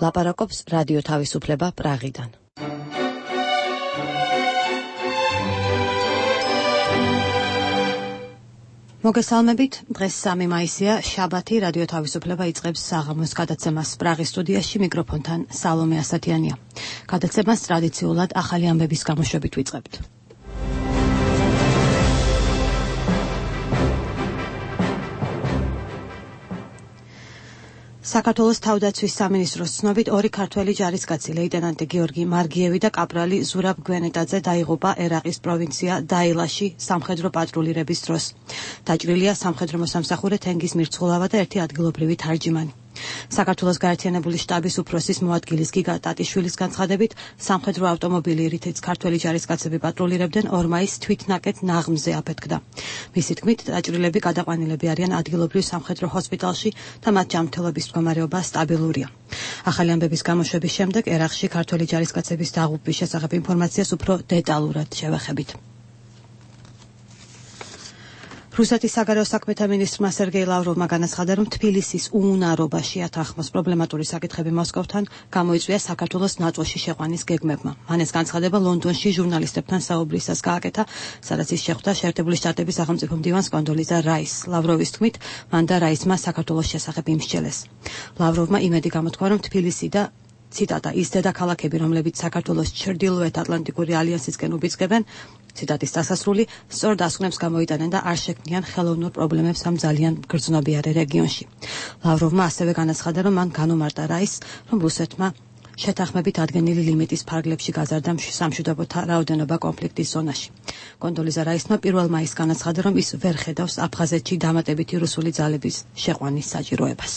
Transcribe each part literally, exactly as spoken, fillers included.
ლაპარაკობს რადიო თავისუფლება პრაღიდან. მოგესალმებით, დღეს სამი მაისია, შაბათი, რადიო თავისუფლება იწყებს საღამოს გადაცემას პრაღის სტუდიაში, მიკროფონთან სალომე ასათიანია. გადაცემას ტრადიციულად ახალი ამბების გამოშვებით ვიწყებთ. საქართველოს თავდაცვის სამინისტროს ცნობით ორი ქართველი ჯარისკაცი ლეიტენანტი გიორგი მარგიევი და კაპრალი ზურაბ გვენეტაძე დაიღუპა ერაყის პროვინცია დაილაში სამხედრო პატრულირების დროს. დაჭრილია სამხედრო მოსამსახურე თენგიზ მირცხულავა და ერთი ადგილობრივი თარჯიმანი. საქართველოს გაერთიანებული შტაბის უფროსის მოადგილის გიგა ტატიშვილის განცხადებით, სამხედრო ავტომობილი, რითიც ქართველი ჯარისკაცები პატრულირებდნენ, ორ მაისს თვითნაკეთ ნაღმზე აფეთქდა. მისი თქმით, დაჭრილები გადაყვანილები არიან ადგილობრივ სამხედრო ჰოსპიტალში და მათ ჯანმრთელობის მდგომარეობა სტაბილურია. ახალი ამბების გამოშვების შემდეგ ერაყში ქართველი ჯარისკაცების დაღუპვის შესახებ ინფორმაციას უფრო დეტალურად შევეხებით. რუსეთის საგარეო საქმეთა მინისტრმა სერგეი ლავროვმა განაცხადა, რომ თბილისის უუნარობაში ათანხმოს პრობლემატური საკითხები მოსკოვთან გამოიწვია საქართველოს ნატოში შეყვანის გეგმებმა. მან ეს განცხადება ლონდონში ჟურნალისტებთან საუბრისას გააკეთა, სადაც ის შეხვდა შეერთებული შტატების სახელმწიფო მდივანს კონდოლიზა რაისს. ლავროვის თქმით, მან და რაისმა საქართველოს შესახებ იმსჯელეს. ლავროვმა იმედი გამოთქვა, რომ თბილისი და ციტატა ის დედაქალაქები, რომლებიც საქართველოს ჩრდილოეთ ატლანტიკური ალიანსისკენ უბიძგებენ, ციტატის დასასრული, სწორ დასკვნებს გამოიტანენ და არ შექმნიან ხელოვნურ პრობლემებს ამ ძალიან გრძნობიარე რეგიონში. ლავროვმა ასევე განაცხადა, რომ მან განუმარტა რაისს, რომ რუსეთმა შეთანხმებით ადგენილი ლიმიტის ფარგლებში გაზარდა სამშვიდობოთა რაოდენობა კონფლიქტის ზონაში. კონდოლიზა რაისმა პირველ მაისს განაცხადა, რომ ის ვერ ხედავს აფხაზეთში დამატებითი რუსული ძალების შეყვანის საჭიროებას.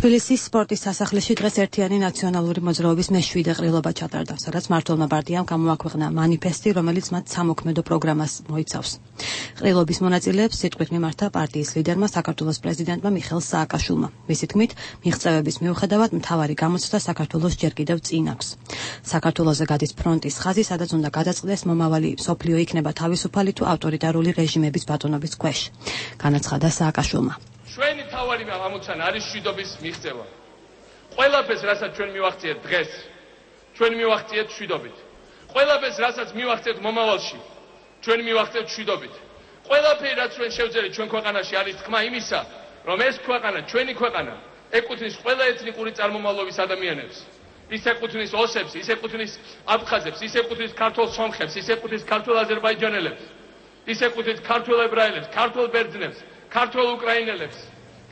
თბილისის სპორტის სასახლეში დღეს ერთიანი ნაციონალური მოძრაობის მეშვიდე ყრილობა ჩატარდა, სადაც მმართველმა პარტიამ გამოაქვეყნა მანიფესტი, რომელიც მათ სამოქმედო პროგრამას მოიცავს. ყრილობის მონაწილეებს სიტყვით მიმართა პარტიის ლიდერმა, საქართველოს პრეზიდენტმა მიხეილ სააკაშვილმა. მისი თქმით, მიღწევების მიუხედავად მთავარი გამოცდა საქართველოს ჯერ კიდევ წინ აქვს. საქართველოზე გადის ფრონტის ხაზი, სადაც უნდა გადაწყდეს მომავალი მსოფლიო იქნება თავისუფალი თუ ავტორიტარული რეჟიმების ბატონობის ქვეშ. განაცხადა სააკაშვილმა. ჩვენი თავარი ამოცანა არის მშვიდობის მიღწევა. ყველაფერს, რასაც ჩვენ მივახციეთ დღეს, ჩვენ მივახციეთ მშვიდობით. ყველაფერს, რასაც მივახციეთ მომავალში, ჩვენ მივახციეთ მშვიდობით. ყველაფერი, რაც ჩვენ შევძელით ჩვენ ქვეყანაში, არის თქმა იმისა, რომ ეს ქვეყანა, ჩვენი ქვეყანა, ეკუთვნის ყველა ეთნიკური წარმომავლობის ადამიანებს. ის ეკუთვნის ოსებს, ის ეკუთვნის აფხაზებს, ის ეკუთვნის ქართულ სომხებს, ის ეკუთვნის ქართულ აზერბაიჯანელებს, ის ეკუთვნის ქართულ ებრაელებს, ქართულ ბერძნებს, ქართულ უკრაინელებს,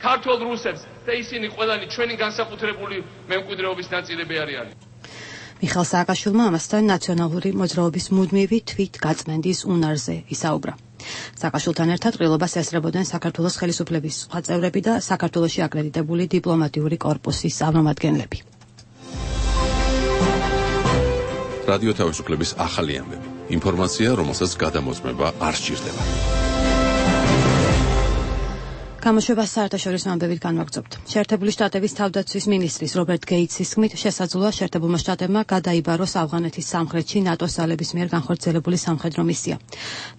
ქართულ რუსებს და ისინი ყველანი ჩვენი განსაკუთრებული მემკვიდრეობის ნაწილები არიან. მიხეილ სააკაშვილმა ამასთან ნაციონალური მოძრაობის მუდმივი თვით გაწმენდის უნარზე ისაუბრა. სააკაშვილთან ერთად ყრილობას ესწრებოდნენ საქართველოს ხელისუფლების სხვა წევრები და საქართველოში აკრედიტებული დიპლომატიური კორპუსის წარმომადგენლები. რადიო თავისუფლების ახალი ამბები. ინფორმაცია, რომელსაც გადამოწმება არ სჭირდება. გამოშვებას საერთაშორისო ამბებით განვაგრძობთ. შეერთებული შტატების თავდაცვის მინისტრის რობერტ გეიტსის თქმით, შესაძლოა შეერთებულმა შტატებმა გადაიბაროს ავღანეთის სამხრეთში ნატოს ძალების მიერ განხორციელებული სამხედრო მისია.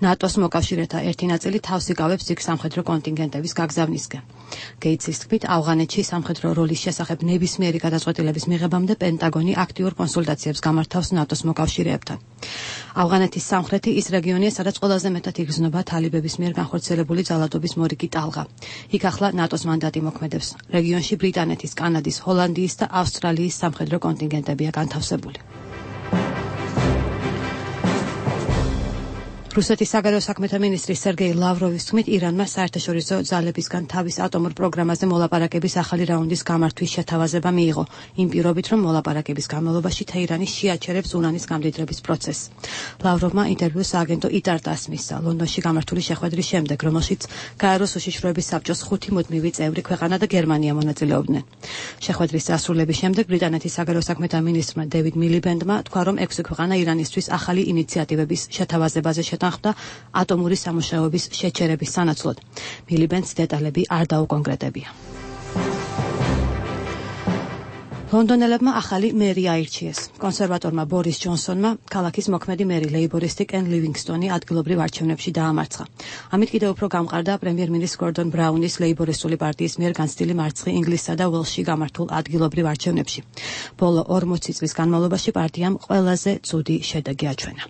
ნატოს მოკავშირეთა ერთი ნაწილი თავს იკავებს იქ სამხედრო კონტინგენტების გაგზავნისკენ. გეიტსის თქმით, ავღანეთში სამხედრო როლის შესახებ ნებისმიერი გადაწყვეტილების მიღებამდე პენტაგონი აქტიურ კონსულტაციებს გამართავს ნატოს მოკავშირეებთან. ავღანეთის სამხრეთი ის რეგიონია, სადაც ყველაზე მეტად იგრძნობა თალიბების მიერ განხორციელებული ძალადობის მორიგი ტალღა. იქ ახლა ნატოს მანდატი მოქმედებს. რეგიონში ბრიტანეთის, კანადის, ჰოლანდიის და ავსტრალიის სამხედრო კონტინგენტებია განთავსებული. რუსეთის საგარეო საქმეთა მინისტრი სერგეი ლავროვის თქმით, ირანმა საერთაშორისო ძალებისგან თავის ატომურ პროგრამაზე მოლაპარაკების ახალი რაუნდის გამართვის შეთავაზება მიიღო, იმ პირობით, რომ მოლაპარაკების განმავლობაში თეირანი შეაჩერებს ურანის გამდიდრების პროცესს. ლავროვმა ინტერვიუს სააგენტო იტარ-ტას მისცა ლონდონში გამართული შეხვედრის შემდეგ, რომელშიც გაეროს უშიშროების საბჭოს ხუთი მუდმივი წევრი ქვეყანა და გერმანია მონაწილეობდნენ. შეხვედრის დასრულების შემდეგ ბრიტანეთის საგარეო საქმეთა მინისტრმა დევიდ მილიბენდმა თქვა, რომ ექვსი ქვეყანა ირანისთვის ახალი ინიციატივების შეთავაზებაზე შეთანხმდა ატომური სამუშაოების შეჩერების სანაცვლოდ. მილიბენდს დეტალები არ დაუკონკრეტებია. ლონდონელებმა ახალი მერი აირჩიეს. კონსერვატორმა ბორის ჯონსონმა ქალაქის მოქმედი მერი ლეიბორისტი კენ ლივინგსტონი ადგილობრივ არჩევნებში დაამარცხა. ამით კიდევ უფრო გამყარდა პრემიერ-მინისტრ გორდონ ბრაუნის ლეიბორისტული პარტიის მიერ განცდილი მარცხი ინგლისსა და ველსში გამართულ ადგილობრივ არჩევნებში. ბოლო ორმოცი წლის განმავლობაში პარტიამ ყველაზე ცუდი შედეგი აჩვენა.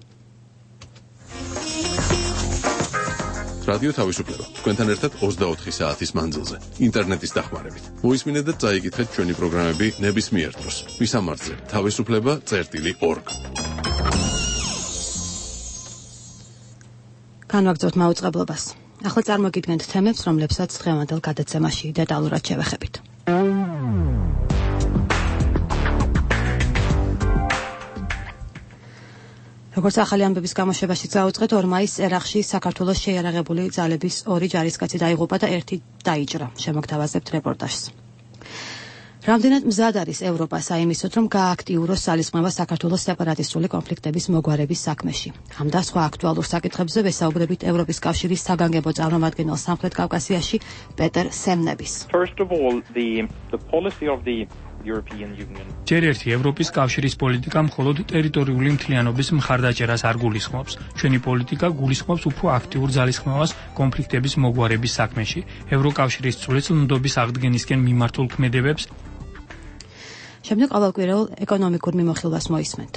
რადიო თავისუფლება. თქვენთან ერთად ოცდაოთხი საათის მანძილზე. ინტერნეტის დახმარებით. მოისმინეთ და წაიკითხეთ ჩვენი პროგრამები ნებისმიერ დროს. მისამართზე თავისუფლება წერტილი ორგ. განვაგრძობთ მაუწყებლობას. ახლა წარმოგიდგენთ თემებს, რომლებსაც დღევანდელ გადაცემაში დეტალურად შევეხებით. როგორც ახალი ამბების გამოშვებაში წაუწყეთ, ორ მაისს ერაყში საქართველოს შეიარაღებული ძალების ორი ჯარისკაცი დაიღუპა და ერთი დაიჭრა. შემოგთავაზებთ რეპორტაჟს. რამდენად მზად არის ევროპა საიმისოდ, რომ გააქტიუროს ძალისხმევა საქართველოს სეპარატისტული კონფლიქტების მოგვარების საქმეში. ამ და სხვა აქტუალურ საკითხებზე ვესაუბრებით ევროპის კავშირის საგანგებო წარმომადგენელ სამხრეთ კავკასიაში პეტერ სემნების. First of all, the the policy of the European Union. ჯერ ერთი ევროპის კავშირის პოლიტიკა მხოლოდ ტერიტორიული მთლიანობის მხარდაჭერას არ გულისხმობს. ჩვენი პოლიტიკა გულისხმობს უფრო აქტიურ ძალისხმევას კონფლიქტების მოგვარების საქმეში. ევროკავშირის წვრილნდობის აღდგენისკენ მიმართულ ქმედებებს. შემდეგ ყოველკვირეულ ეკონომიკურ მიმოხილვას მოისმენთ.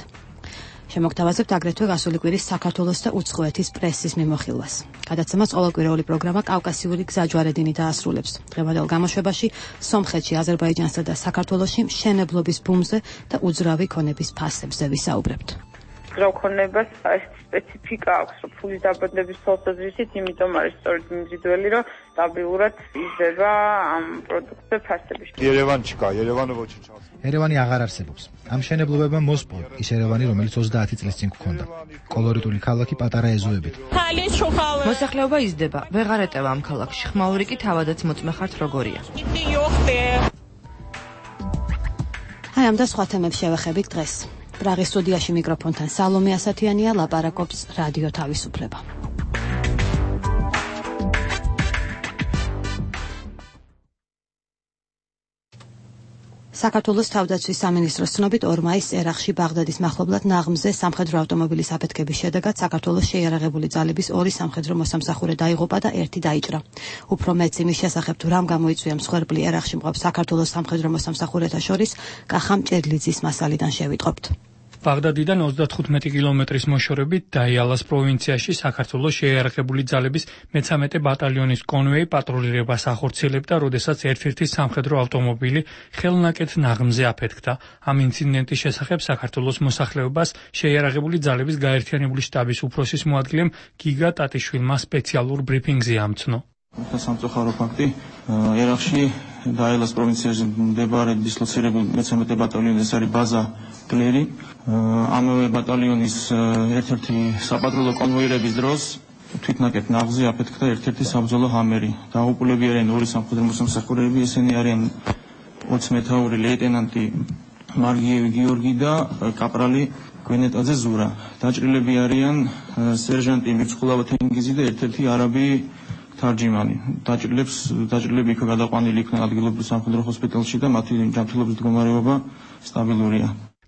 შემოგთავაზებთ აგრეთვე გასული კვირის საქართველოს და უცხოეთის პრესის მიმოხილვას. გადაცემას ყოველკვირეული პროგრამა კავკასიური გზაჯვარედინი დაასრულებს. დღევანდელ გამოშვებაში სომხეთში, აზერბაიჯანსა და საქართველოში მშენებლობის ბუმზე და უძრავი ქონების ფასებზე ვისაუბრებთ. გზავქონებას ეს სპეციფიკა აქვს, რომ ფულის დაბადების თვალსაზრისით, იმიტომ არის სწორედ მიმზიდველი, რომ სტაბილურად იზრდება ამ პროდუქტზე ფასები. ერევანჩიკა, ერევანო ვოჩიჩა. ერევანი აღარ არსებობს. ამ მშენებლობებმა მოსპო ის ერევანი, რომელიც ოცდაათი წლის წინ გქონდა. კოლორიტული ქალაქი პატარა ეზოებით. მოსახლეობა იზრდება, ვეღარ ეტევა ამ ქალაქში. ხმაური კი თავადაც მოწმე ხართ როგორია. აი ამ და სხვა თემებს შევეხებით დღეს. პრაღის სტუდიაში მიკროფონთან სალომე ასათიანია, ლაპარაკობს რადიო თავისუფლება. საქართველოს თავდაცვის სამინისტროს ცნობით ორ მაისს ერაყში ბაღდადის მახლობლად ნაღმზე სამხედრო ავტომობილის აფეთქების შედეგად საქართველოს შეიარაღებული ძალების ორი სამხედრო მოსამსახურე დაიღუპა და ერთი დაიჭრა. უფრო მეც იმის შესახებ თუ რამ გამოიწვია მსხვერპლი ერაყში მყოფ საქართველოს სამხედრო მოსამსახურეთა შორის, კახამ ჭედლიძის მასალიდან შევიტყობთ. ბაღდადიდან ოცდათხუთმეტი კილომეტრის მოშორებით დაიალას პროვინციაში საქართველოს შეიარაღებული ძალების მეცამეტე ბატალიონის კონვოი პატრულირებას ახორციელებდა, როდესაც ერთ-ერთი სამხედრო ავტომობილი ხელნაკეთ ნაღმზე აფეთქდა. ამ ინციდენტის შესახებ საქართველოს მოსახლეობას შეიარაღებული ძალების გაერთიანებული შტაბის უფროსის მოადგილემ გიგა ტატიშვილმა სპეციალურ ბრიფინგზე ამცნო. სამწუხარო ფაქტი ერაყში დაიალას პროვინციაში მდებარე დისლოცირებული მეცამეტე ბატალიონი, ეს არის ბაზა გლერი. ამავე ბატალიონის ერთ-ერთი საპატრულო კონვოირების დროს თვითნაკეთ ნაღზე აფეთქდა ერთ-ერთი საბრძოლო ჰამერი. დაღუპულები არიან ორი სამხედრო მოსამსახურეები, ესენი არიან ოცმეთაური ლეიტენანტი მარგიევი გიორგი და კაპრალი გვენეტაძე ზურა. დაჭრილები არიან სერჟანტი მირცხულავა თენგიზი და ერთ-ერთი არაბი თარჯიმანი. დაჭრილებს დაჭრილები იქ გადაყვანილი იქნა ადგილობრივ სამხედრო ჰოსპიტალში და მათი ჯანმრთელობის მდგომარეობა სტაბილურია.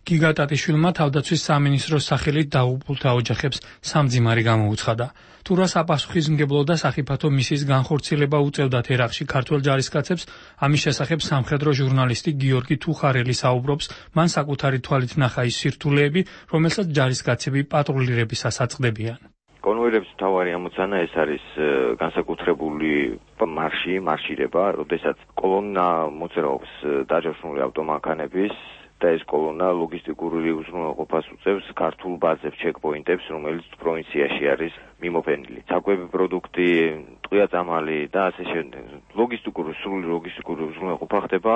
გიგა ტატიშვილმა თავდაცვის სამინისტროს სახელით დაღუპულთა ოჯახებს სამძიმარი გამოუცხადა. თუ რა საპასუხისმგებლო და სახიფათო მისიის განხორციელება უწევდათ ერაყში ქართველ ჯარისკაცებს, ამის შესახებ სამხედრო ჟურნალისტი გიორგი თუხარელი საუბრობს, მან საკუთარი თვალით ნახა ის სირთულეები, რომელსაც ჯარისკაცები პატრულირებისას აწყდებიან. კონვოირების მთავარი ამოცანა ეს არის განსაკუთრებული მარში, მარშირება, როდესაც კოლონა მოძრაობს დაჯავშნული ავტომანქანების და ეს კოლონა ლოგისტიკური უზრუნველყოფას უწევს ქართულ ბაზებს, ჩეკპოინტებს, რომელიც პროვინციაში არის მიმოფენილი. საკვები პროდუქტი, ტყვია-წამალი და ასე შემდეგ. ლოგისტიკური, სრული ლოგისტიკური უზრუნველყოფა ხდება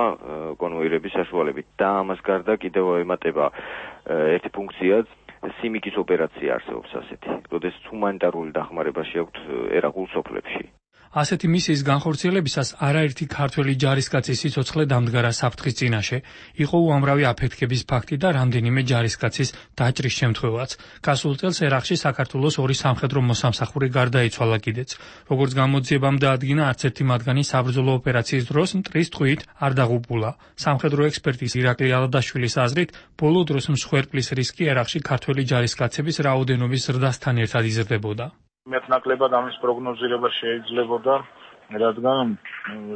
კონვოირების საშუალებით. და ამას გარდა კიდევ ემატება ერთი ფუნქციაც, სიმიკის ოპერაცია არსებობს ასეთი, როდესაც ჰუმანიტარული დახმარება შეაქვთ ერაყულ სოფლებში. ასეთი მისიის განხორციელებისას არაერთი ქართველი ჯარისკაცის სიცოცხლე დამდგარა საფრთხის წინაშე. იყო უამრავი აფეთქების ფაქტი და რამდენიმე ჯარისკაცის დაჭრის შემთხვევაც. გასულ წელს ერაყში საქართველოს ორი სამხედრო მოსამსახური გარდაიცვალა კიდეც. როგორც გამოძიებამ დაადგინა, არც ერთი მათგანი საბრძოლო ოპერაციის დროს მტრის ტყვიით არ დაღუპულა. სამხედრო ექსპერტის ირაკლი ალადაშვილის აზრით, ბოლო დროს მსხვერპლის რისკი ერაყში ქართველი ჯარისკაცების რაოდენობის ზრდასთან ერთად იზრდებოდა. მეტნაკლებად ამის პროგნოზირება შეიძლებოდა, რადგან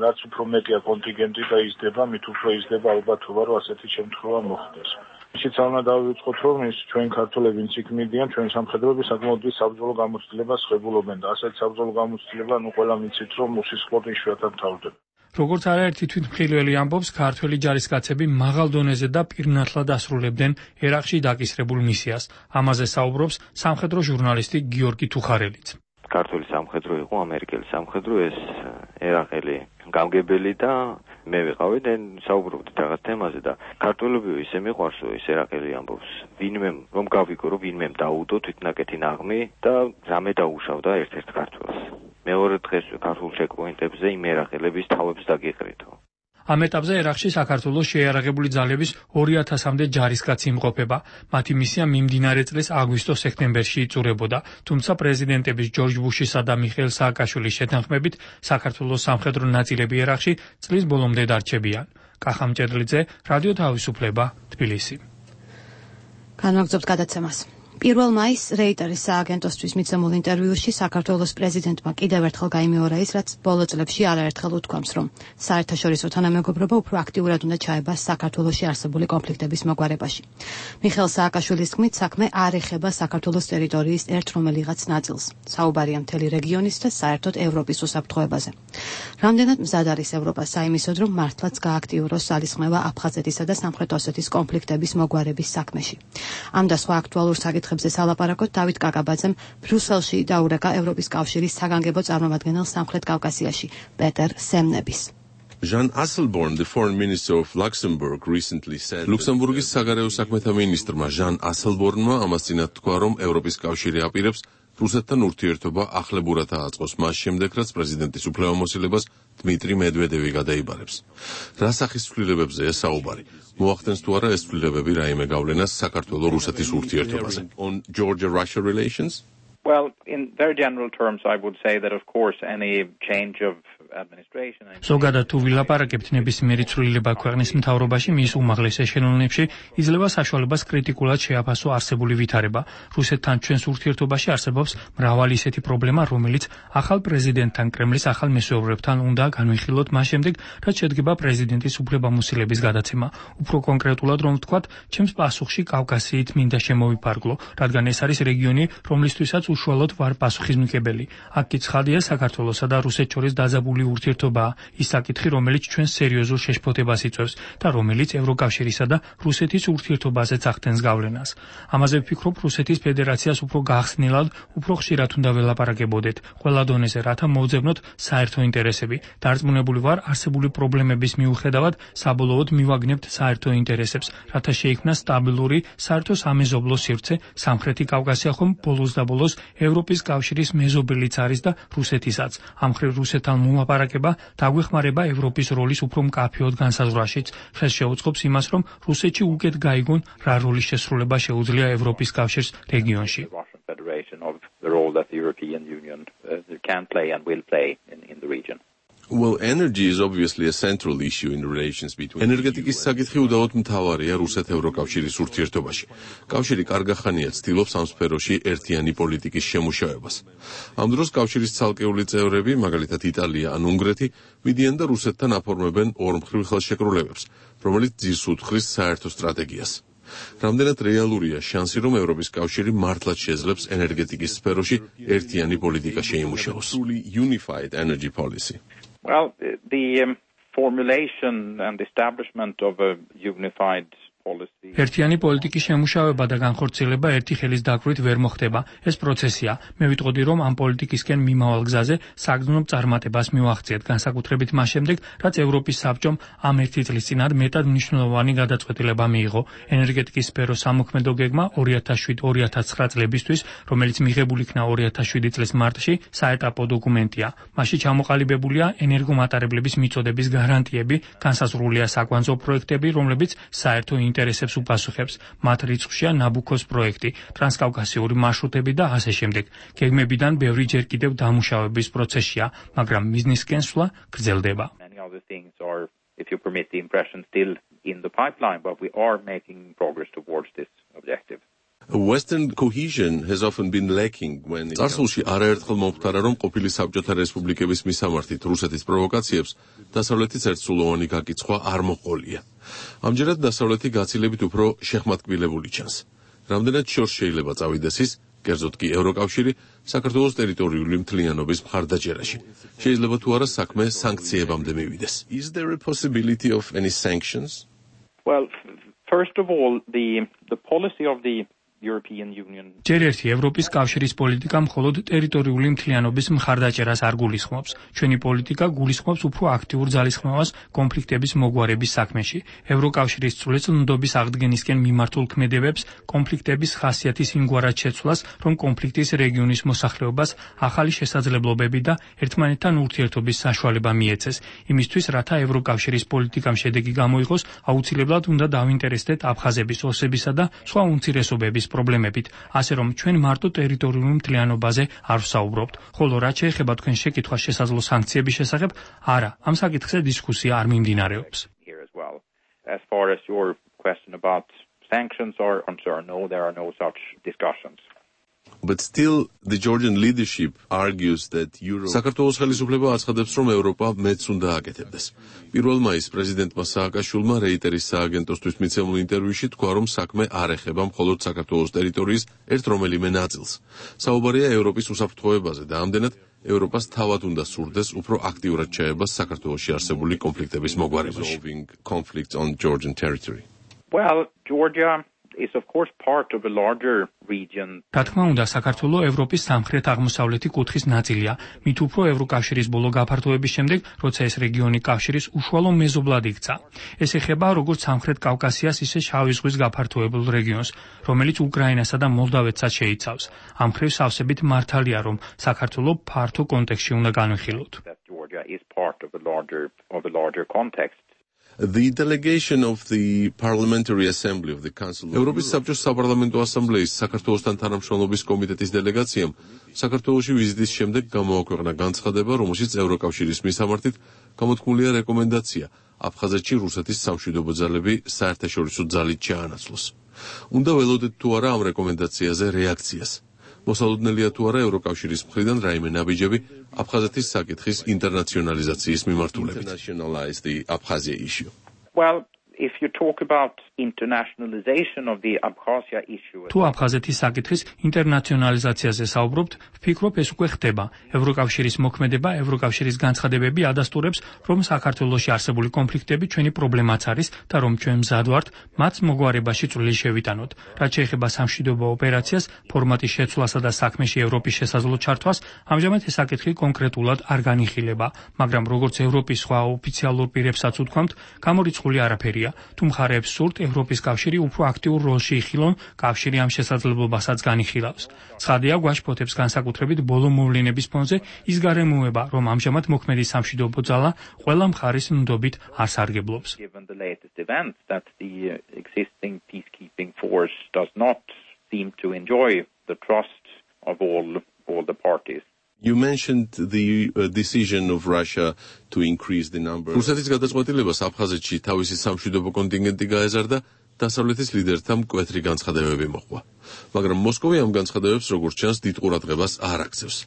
რაც უფრო მეტია კონტინგენტი და იზრდება, მით უფრო იზრდება ალბათობა, რომ ასეთი შემთხვევა მოხდეს. ისიც უნდა დავიწყოთ, რომ ის ჩვენ ქართველები ვინც იქ მიდიან, ჩვენ სამხედროები საკმაოდ დიდ საბრძოლო გამოცდილებას ხვებულობენ და ასეთ საბრძოლო გამოცდილება ნუ ყველა მიცით, რომ უსისხლოდ იშვიათად მთავრდება. როგორც არაერთი თვითმხილველი ამბობს, ქართველი ჯარისკაცები მაღალ დონეზე და პირნათლად ასრულებდნენ ერაყში დაკისრებულ მისიას. ამაზე საუბრობს სამხედრო ჟურნალისტი გიორგი თუხარელიც. ქართული სამხედრო იყო, ამერიკელი სამხედრო, ეს ერაყელი გამგებელი და მე ვიყავი და საუბრობდით რაღაც თემაზე და ქართველები ისე მიყვარს, ის ერაყელი ამბობს, ვინმე რომ გავიგო, რომ ვინმე დაუდო თვითნაკეთი ნაღმი და რამე დაუშავდა ერთ-ერთ ქართველს. მეორე დღეს ქართულ ჩეკპოინტებზე იმ ერაყელების თავებს დაგიყრითო. ამ ეტაპზე ერაყში საქართველოს შეიარაღებული ძალების ორი ათასამდე ჯარისკაცი იმყოფება. მათი მისია მიმდინარე წლის აგვისტო-სექტემბერში იწურებოდა, თუმცა პრეზიდენტების ჯორჯ ბუშისა და მიხეილ სააკაშვილის შეთანხმებით საქართველოს სამხედრო ნაწილები ერაყში წლის ბოლომდე დარჩებიან. კახა მჭედლიძე, რადიო თავისუფლება, თბილისი. განვაგრძობთ გადაცემას. პირველ მაისს რეიტერის სააგენტოსთვის მიცემულ ინტერვიუში საქართველოს პრეზიდენტმა კიდევ ერთხელ გაიმეორა ის, რაც ბოლო წლებში არაერთხელ უთქვამს, რომ საერთაშორისო თანამეგობრობა უფრო აქტიურად უნდა ჩაება საქართველოში არსებული კონფლიქტების მოგვარებაში. მიხეილ სააკაშვილის თქმით, საქმე არ ეხება საქართველოს ტერიტორიის ერთ რომელიღაც ნაწილს. საუბარია მთელი რეგიონის და საერთოდ ევროპის უსაფრთხოებაზე. რამდენად მზად არის ევროპა საიმისოდ, რომ მართლაც გააქტიუროს ძალისხმევა აფხაზეთისა და სამხრეთ ოსეთის კონფლიქტების მოგვარების საქმეში. ამ და სხვა აქტუალურ საკითხებზე სალაპარაკოდ დავით კაკაბაძემ ბრიუსელში დაურეკა ევროპის კავშირის საგანგებო წარმომადგენელ სამხრეთ კავკასიაში პეტერ სემნების. Jean Asselborn, the foreign minister of Luxembourg, recently said ლუქსემბურგის საგარეო საქმეთა მინისტრმა ჟან ასელბორნმა ამას წინათ თქვა, რომ ევროპის კავშირი აპირებს რუსეთთან ურთიერთობა ახლებურად ააწყოს მას შემდეგ, რაც პრეზიდენტის უფლებამოსილებას დმიტრი მედვედევი გადაიბარებს. რა სახის ცვლილებებზეა საუბარი? მოახდენს თუ არა ეს ცვლილებები რაიმე გავლენას საქართველოს-რუსეთის ურთიერთობაზე? On Georgia-Russia relations? Well, in very general terms, I would say that, of course, any change of administration... ზოგადად თუ ვილაპარაკებთ ნებისმიერი ცვლილება ქვეყნის მთავრობაში, მის უმაღლეს ეშელონებში იძლევა საშუალებას კრიტიკულად შეაფასო არსებული ვითარება. რუსეთთან ჩვენს ურთიერთობაში არსებობს მრავალი ისეთი პრობლემა, რომელიც ახალ პრეზიდენტთან, კრემლის ახალ მესვეურებთან უნდა განვიხილოთ მას შემდეგ, რაც შედგება პრეზიდენტის უფლებამოსილების გადაცემა. უფრო კონკრეტულად რომ ვთქვათ, ჩემს პასუხში კავკასიით მინდა შემოვიფარგლო, რადგან ეს არის რეგიონი, რომლისთვისაც უშუალოდ ვარ პასუხისმგებელი. აქ კი ცხადია საქართველოსა და რუსეთს შორის დაძაბული ურთიერთობაა, ის საკითხი, რომელიც ჩვენს სერიოზულ შეშფოთებას იწვევს და რომელიც ევროკავშირისა და რუსეთის ურთიერთობაზეც ახდენს გავლენას. ამაზე ვფიქრობ, რუსეთის ფედერაციას უფრო გახსნილად, უფრო ხშირად უნდა ველაპარაკებოდეთ, ყველა დონეზე, რათა მოვძებნოთ საერთო ინტერესები. დარწმუნებული ვარ, არსებული პრობლემების მიუხედავად, საბოლოოდ მივაგნებთ საერთო ინტერესებს, რათა შეიქმნა სტაბილური, საერთო სამეზობლო სივრცე. სამხრეთი კავკასია ხომ ბოლოს და ბოლოს ევროპის კავშირის მეზობელიც არის და რუსეთისაც. ამ მხრივ რუსეთთან მოლაპარაკება დაგვეხმარება ევროპის როლის უფრო მკაფიოდ განსაზღვრაშიც. ხელს შეუწყობს იმას, რომ რუსეთში უკეთ გაიგონ, რა როლის შესრულება შეუძლია ევროპის კავშირს რეგიონში. Well, energy is obviously a central issue in relations between ენერგეტიკის საკითხი უდავოდ მთავარია რუსეთ-ევროკავშირის ურთიერთობაში. კავშირი კარგახანია ცდილობს ამ სფეროში ერთიანი პოლიტიკის შემუშავებას. ამ დროს კავშირის ცალკეული წევრები, მაგალითად იტალია ან უნგრეთი, მიდიან და რუსეთთან აფორმებენ ორმხრივ ხელშეკრულებებს, რომელიც ძირს უთხრის საერთო სტრატეგიას. რამდენად რეალურია შანსი, რომ ევროპის კავშირი მართლაც შეძლებს ენერგეტიკის სფეროში ერთიანი პოლიტიკა შეიმუშაოს? Unified energy policy. Well, the um, formulation and establishment of a unified policy ერთიანი პოლიტიკის შემუშავება და განხორციელება ერთი ხელის დაკვირვით ვერ მოხდება. ეს პროცესია. მე ვიტყოდი, რომ ამ პოლიტიკისკენ მიმავალ გზაზე საგრძნობ წარმატებას მივახციეთ, განსაკუთრებით მას შემდეგ, რაც ევროპის საბჭომ ამ ერთი წლის წინათ მეტად მნიშვნელოვანი გადაწყვეტილება მიიღო. ენერგეტიკის სფეროს სამოქმედო გეგმა ორი ათას შვიდ ორი ათას ცხრა წლებისთვის, რომელიც მიღებულ იქნა ორი ათას შვიდი წლის მარტში, საეტაპო დოკუმენტია. მასში ჩამოყალიბებულია ენერგომატარებლების მიწოდების გარანტიები, განსაზღვრულია საკვანძო პროექტები, რომლებიც საერთო ინტერესებს უპასუხებს. მათ რიცხვშია ნაბუქოს პროექტი, ტრანსკავკასიური მარშრუტები და ასე შემდეგ. გეგმებიდან ბევრი ჯერ კიდევ დამუშავების პროცესია, მაგრამ მიზნისკენ სვლა გრძელდება. If you permit the impression, still in the pipeline, but we are making progress towards this objective. Western cohesion has often been lacking when წარსულში არაერთხელ მომხდარა, რომ ყოფილი საბჭოთა რესპუბლიკების მისამართით რუსეთის პროვოკაციებს დასავლეთის ერთსულოვანი გაკიცხვა არ მოყოლია. ამჯერად დასავლეთი გაცილებით უფრო შეხმატკბილებული ჩანს. რამდენად შორს შეიძლება წავიდეს ის, კერძოდ კი ევროკავშირი საქართველოს ტერიტორიული მთლიანობის მხარდაჭერაში. შეიძლება თუ არა საქმე სანქციებამდე მივიდეს. Is there a possibility of any sanctions? Well, first of all, the the policy of the European Union. ჯერ ერთი ევროპის კავშირის პოლიტიკა მხოლოდ ტერიტორიული მთლიანობის მხარდაჭერას არ გულისხმობს. ჩვენი პოლიტიკა გულისხმობს უფრო აქტიურ ძალისხმევას კონფლიქტების მოგვარების საქმეში. ევროკავშირის წვრილნდობის აღდგენისკენ მიმართულ ქმედებებს, კონფლიქტების ხასიათის იმგვარად შეცვლას, რომ კონფლიქტის რეგიონის მოსახლეობას ახალი შესაძლებლობები და ერთმანეთთან ურთიერთობის საშუალება მიეცეს. იმისთვის, რათა ევროკავშირის პოლიტიკამ შედეგი გამოიღოს, აუცილებლად უნდა დავინტერესდეთ აფხაზების, ოსებისა და სხვა უმცირესობების პრობლემებით, ასე რომ ჩვენ მარტო ტერიტორიულ მთლიანობაზე არ ვსაუბრობთ. ხოლო რაც შეეხება თქვენ შეკითხვას შესაძლო სანქციების შესახებ, არა, ამ საკითხზე დისკუსია არ მიმდინარეობს. As far as your question about sanctions are concerned, no, there are no such discussions. But still, the Georgian leadership argues that Europe... საქართველოს ხელისუფლება აცხადებს, რომ ევროპა მეც უნდა აკეთებდეს. პირველ მაისს პრეზიდენტმა სააკაშვილმა რეიტერის სააგენტოსთვის მიცემულ ინტერვიუში თქვა, რომ საქმე არ ეხება მხოლოდ საქართველოს ტერიტორიის ერთ რომელიმე ნაწილს. საუბარია ევროპის უსაფრთხოებაზე და ამდენად ევროპას თავად უნდა სურდეს უფრო აქტიურად ჩაება საქართველოში არსებული კონფლიქტების მოგვარებაში. Conflicts on Georgian territory. Well, Georgia is of course part of a larger region. რა თქმა უნდა, საქართველო ევროპის სამხრეთ-აღმოსავლეთი კუთხის ნაწილია. მით უფრო ევროკავშირის ბოლო გაფართოების შემდეგ, როცა ეს რეგიონი კავშირის უშუალო მეზობლად იქცა. ეს ეხება როგორც სამხრეთ კავკასიას, ისე შავი ზღვის გაფართოებულ რეგიონს, რომელიც უკრაინასა და მოლდავეთსაც შეიცავს. ამ მხრივ სავსებით მართალია, რომ საქართველო ფართო კონტექსტში უნდა განვიხილოთ. Georgia is part of a larger of a larger context. The delegation of the Parliamentary Assembly of the Council Ევროპის საბჭოს საპარლამენტო ასამბლეის საქართველოსთან თანამშრომლობის კომიტეტის დელეგაციამ საქართველოში ვიზიტის შემდეგ გამოაქვეყნა განცხადება, რომელშიც ევროკავშირის მისამართით გამოთქმულია რეკომენდაცია აფხაზეთში რუსეთის სამშვიდობო ძალები საერთაშორისო ძალით ჩაანაცვლოს. უნდა ველოდეთ თუ არა ამ რეკომენდაციაზე რეაქციას. მოსალოდნელია თუ არა ევროკავშირის მხრიდან რაიმე ნაბიჯები აფხაზეთის საკითხის ინტერნაციონალიზაციის მიმართულებით. Well, if you talk about internationalization of the Abkhazia issue. თუ აფხაზეთის საკითხის ინტერნაციონალიზაციაზე საუბრობთ, ვფიქრობ ეს უკვე ხდება. ევროკავშირის მოქმედება, ევროკავშირის განცხადებები ადასტურებს, რომ საქართველოში არსებული კონფლიქტები ჩვენი პრობლემაც არის და რომ ჩვენ მზად ვართ მათ მოგვარებაში წვლილი შევიტანოთ. რაც შეეხება სამშვიდობო ოპერაციას, ფორმატის შეცვლასა და საქმეში ევროპის შესაძლო ჩართვას, ამჟამად ეს საკითხი კონკრეტულად არ განიხილება, მაგრამ როგორც ევროპის სხვა ოფიციალურ პირებსაც უთქვამთ, გამორიცხული არაფერია. თუ მხარეებს სურთ, ევროპის კავშირი უფრო აქტიურ როლში იხილონ, კავშირი ამ შესაძლებლობასაც განიხილავს. ცხადია, გვაშფოთებს განსაკუთრებით ბოლო მოვლენების ფონზე ის გარემოება, რომ ამჟამად მოქმედი სამშვიდობო ძალა ყველა მხარის ნდობით არ სარგებლობს. Given the latest events that the existing peacekeeping force does not seem to enjoy the trust of all all the parties. You mentioned the uh, decision of Russia to increase the number. რუსეთის გადაწყვეტილებას აფხაზეთში თავისი სამშვიდობო კონტინგენტი გაეზარდა, დასავლეთის ლიდერთა მკვეთრი განცხადებები მოჰყვა. მაგრამ მოსკოვი ამ განცხადებებს როგორც ჩანს დიდ ყურადღებას არ აქცევს.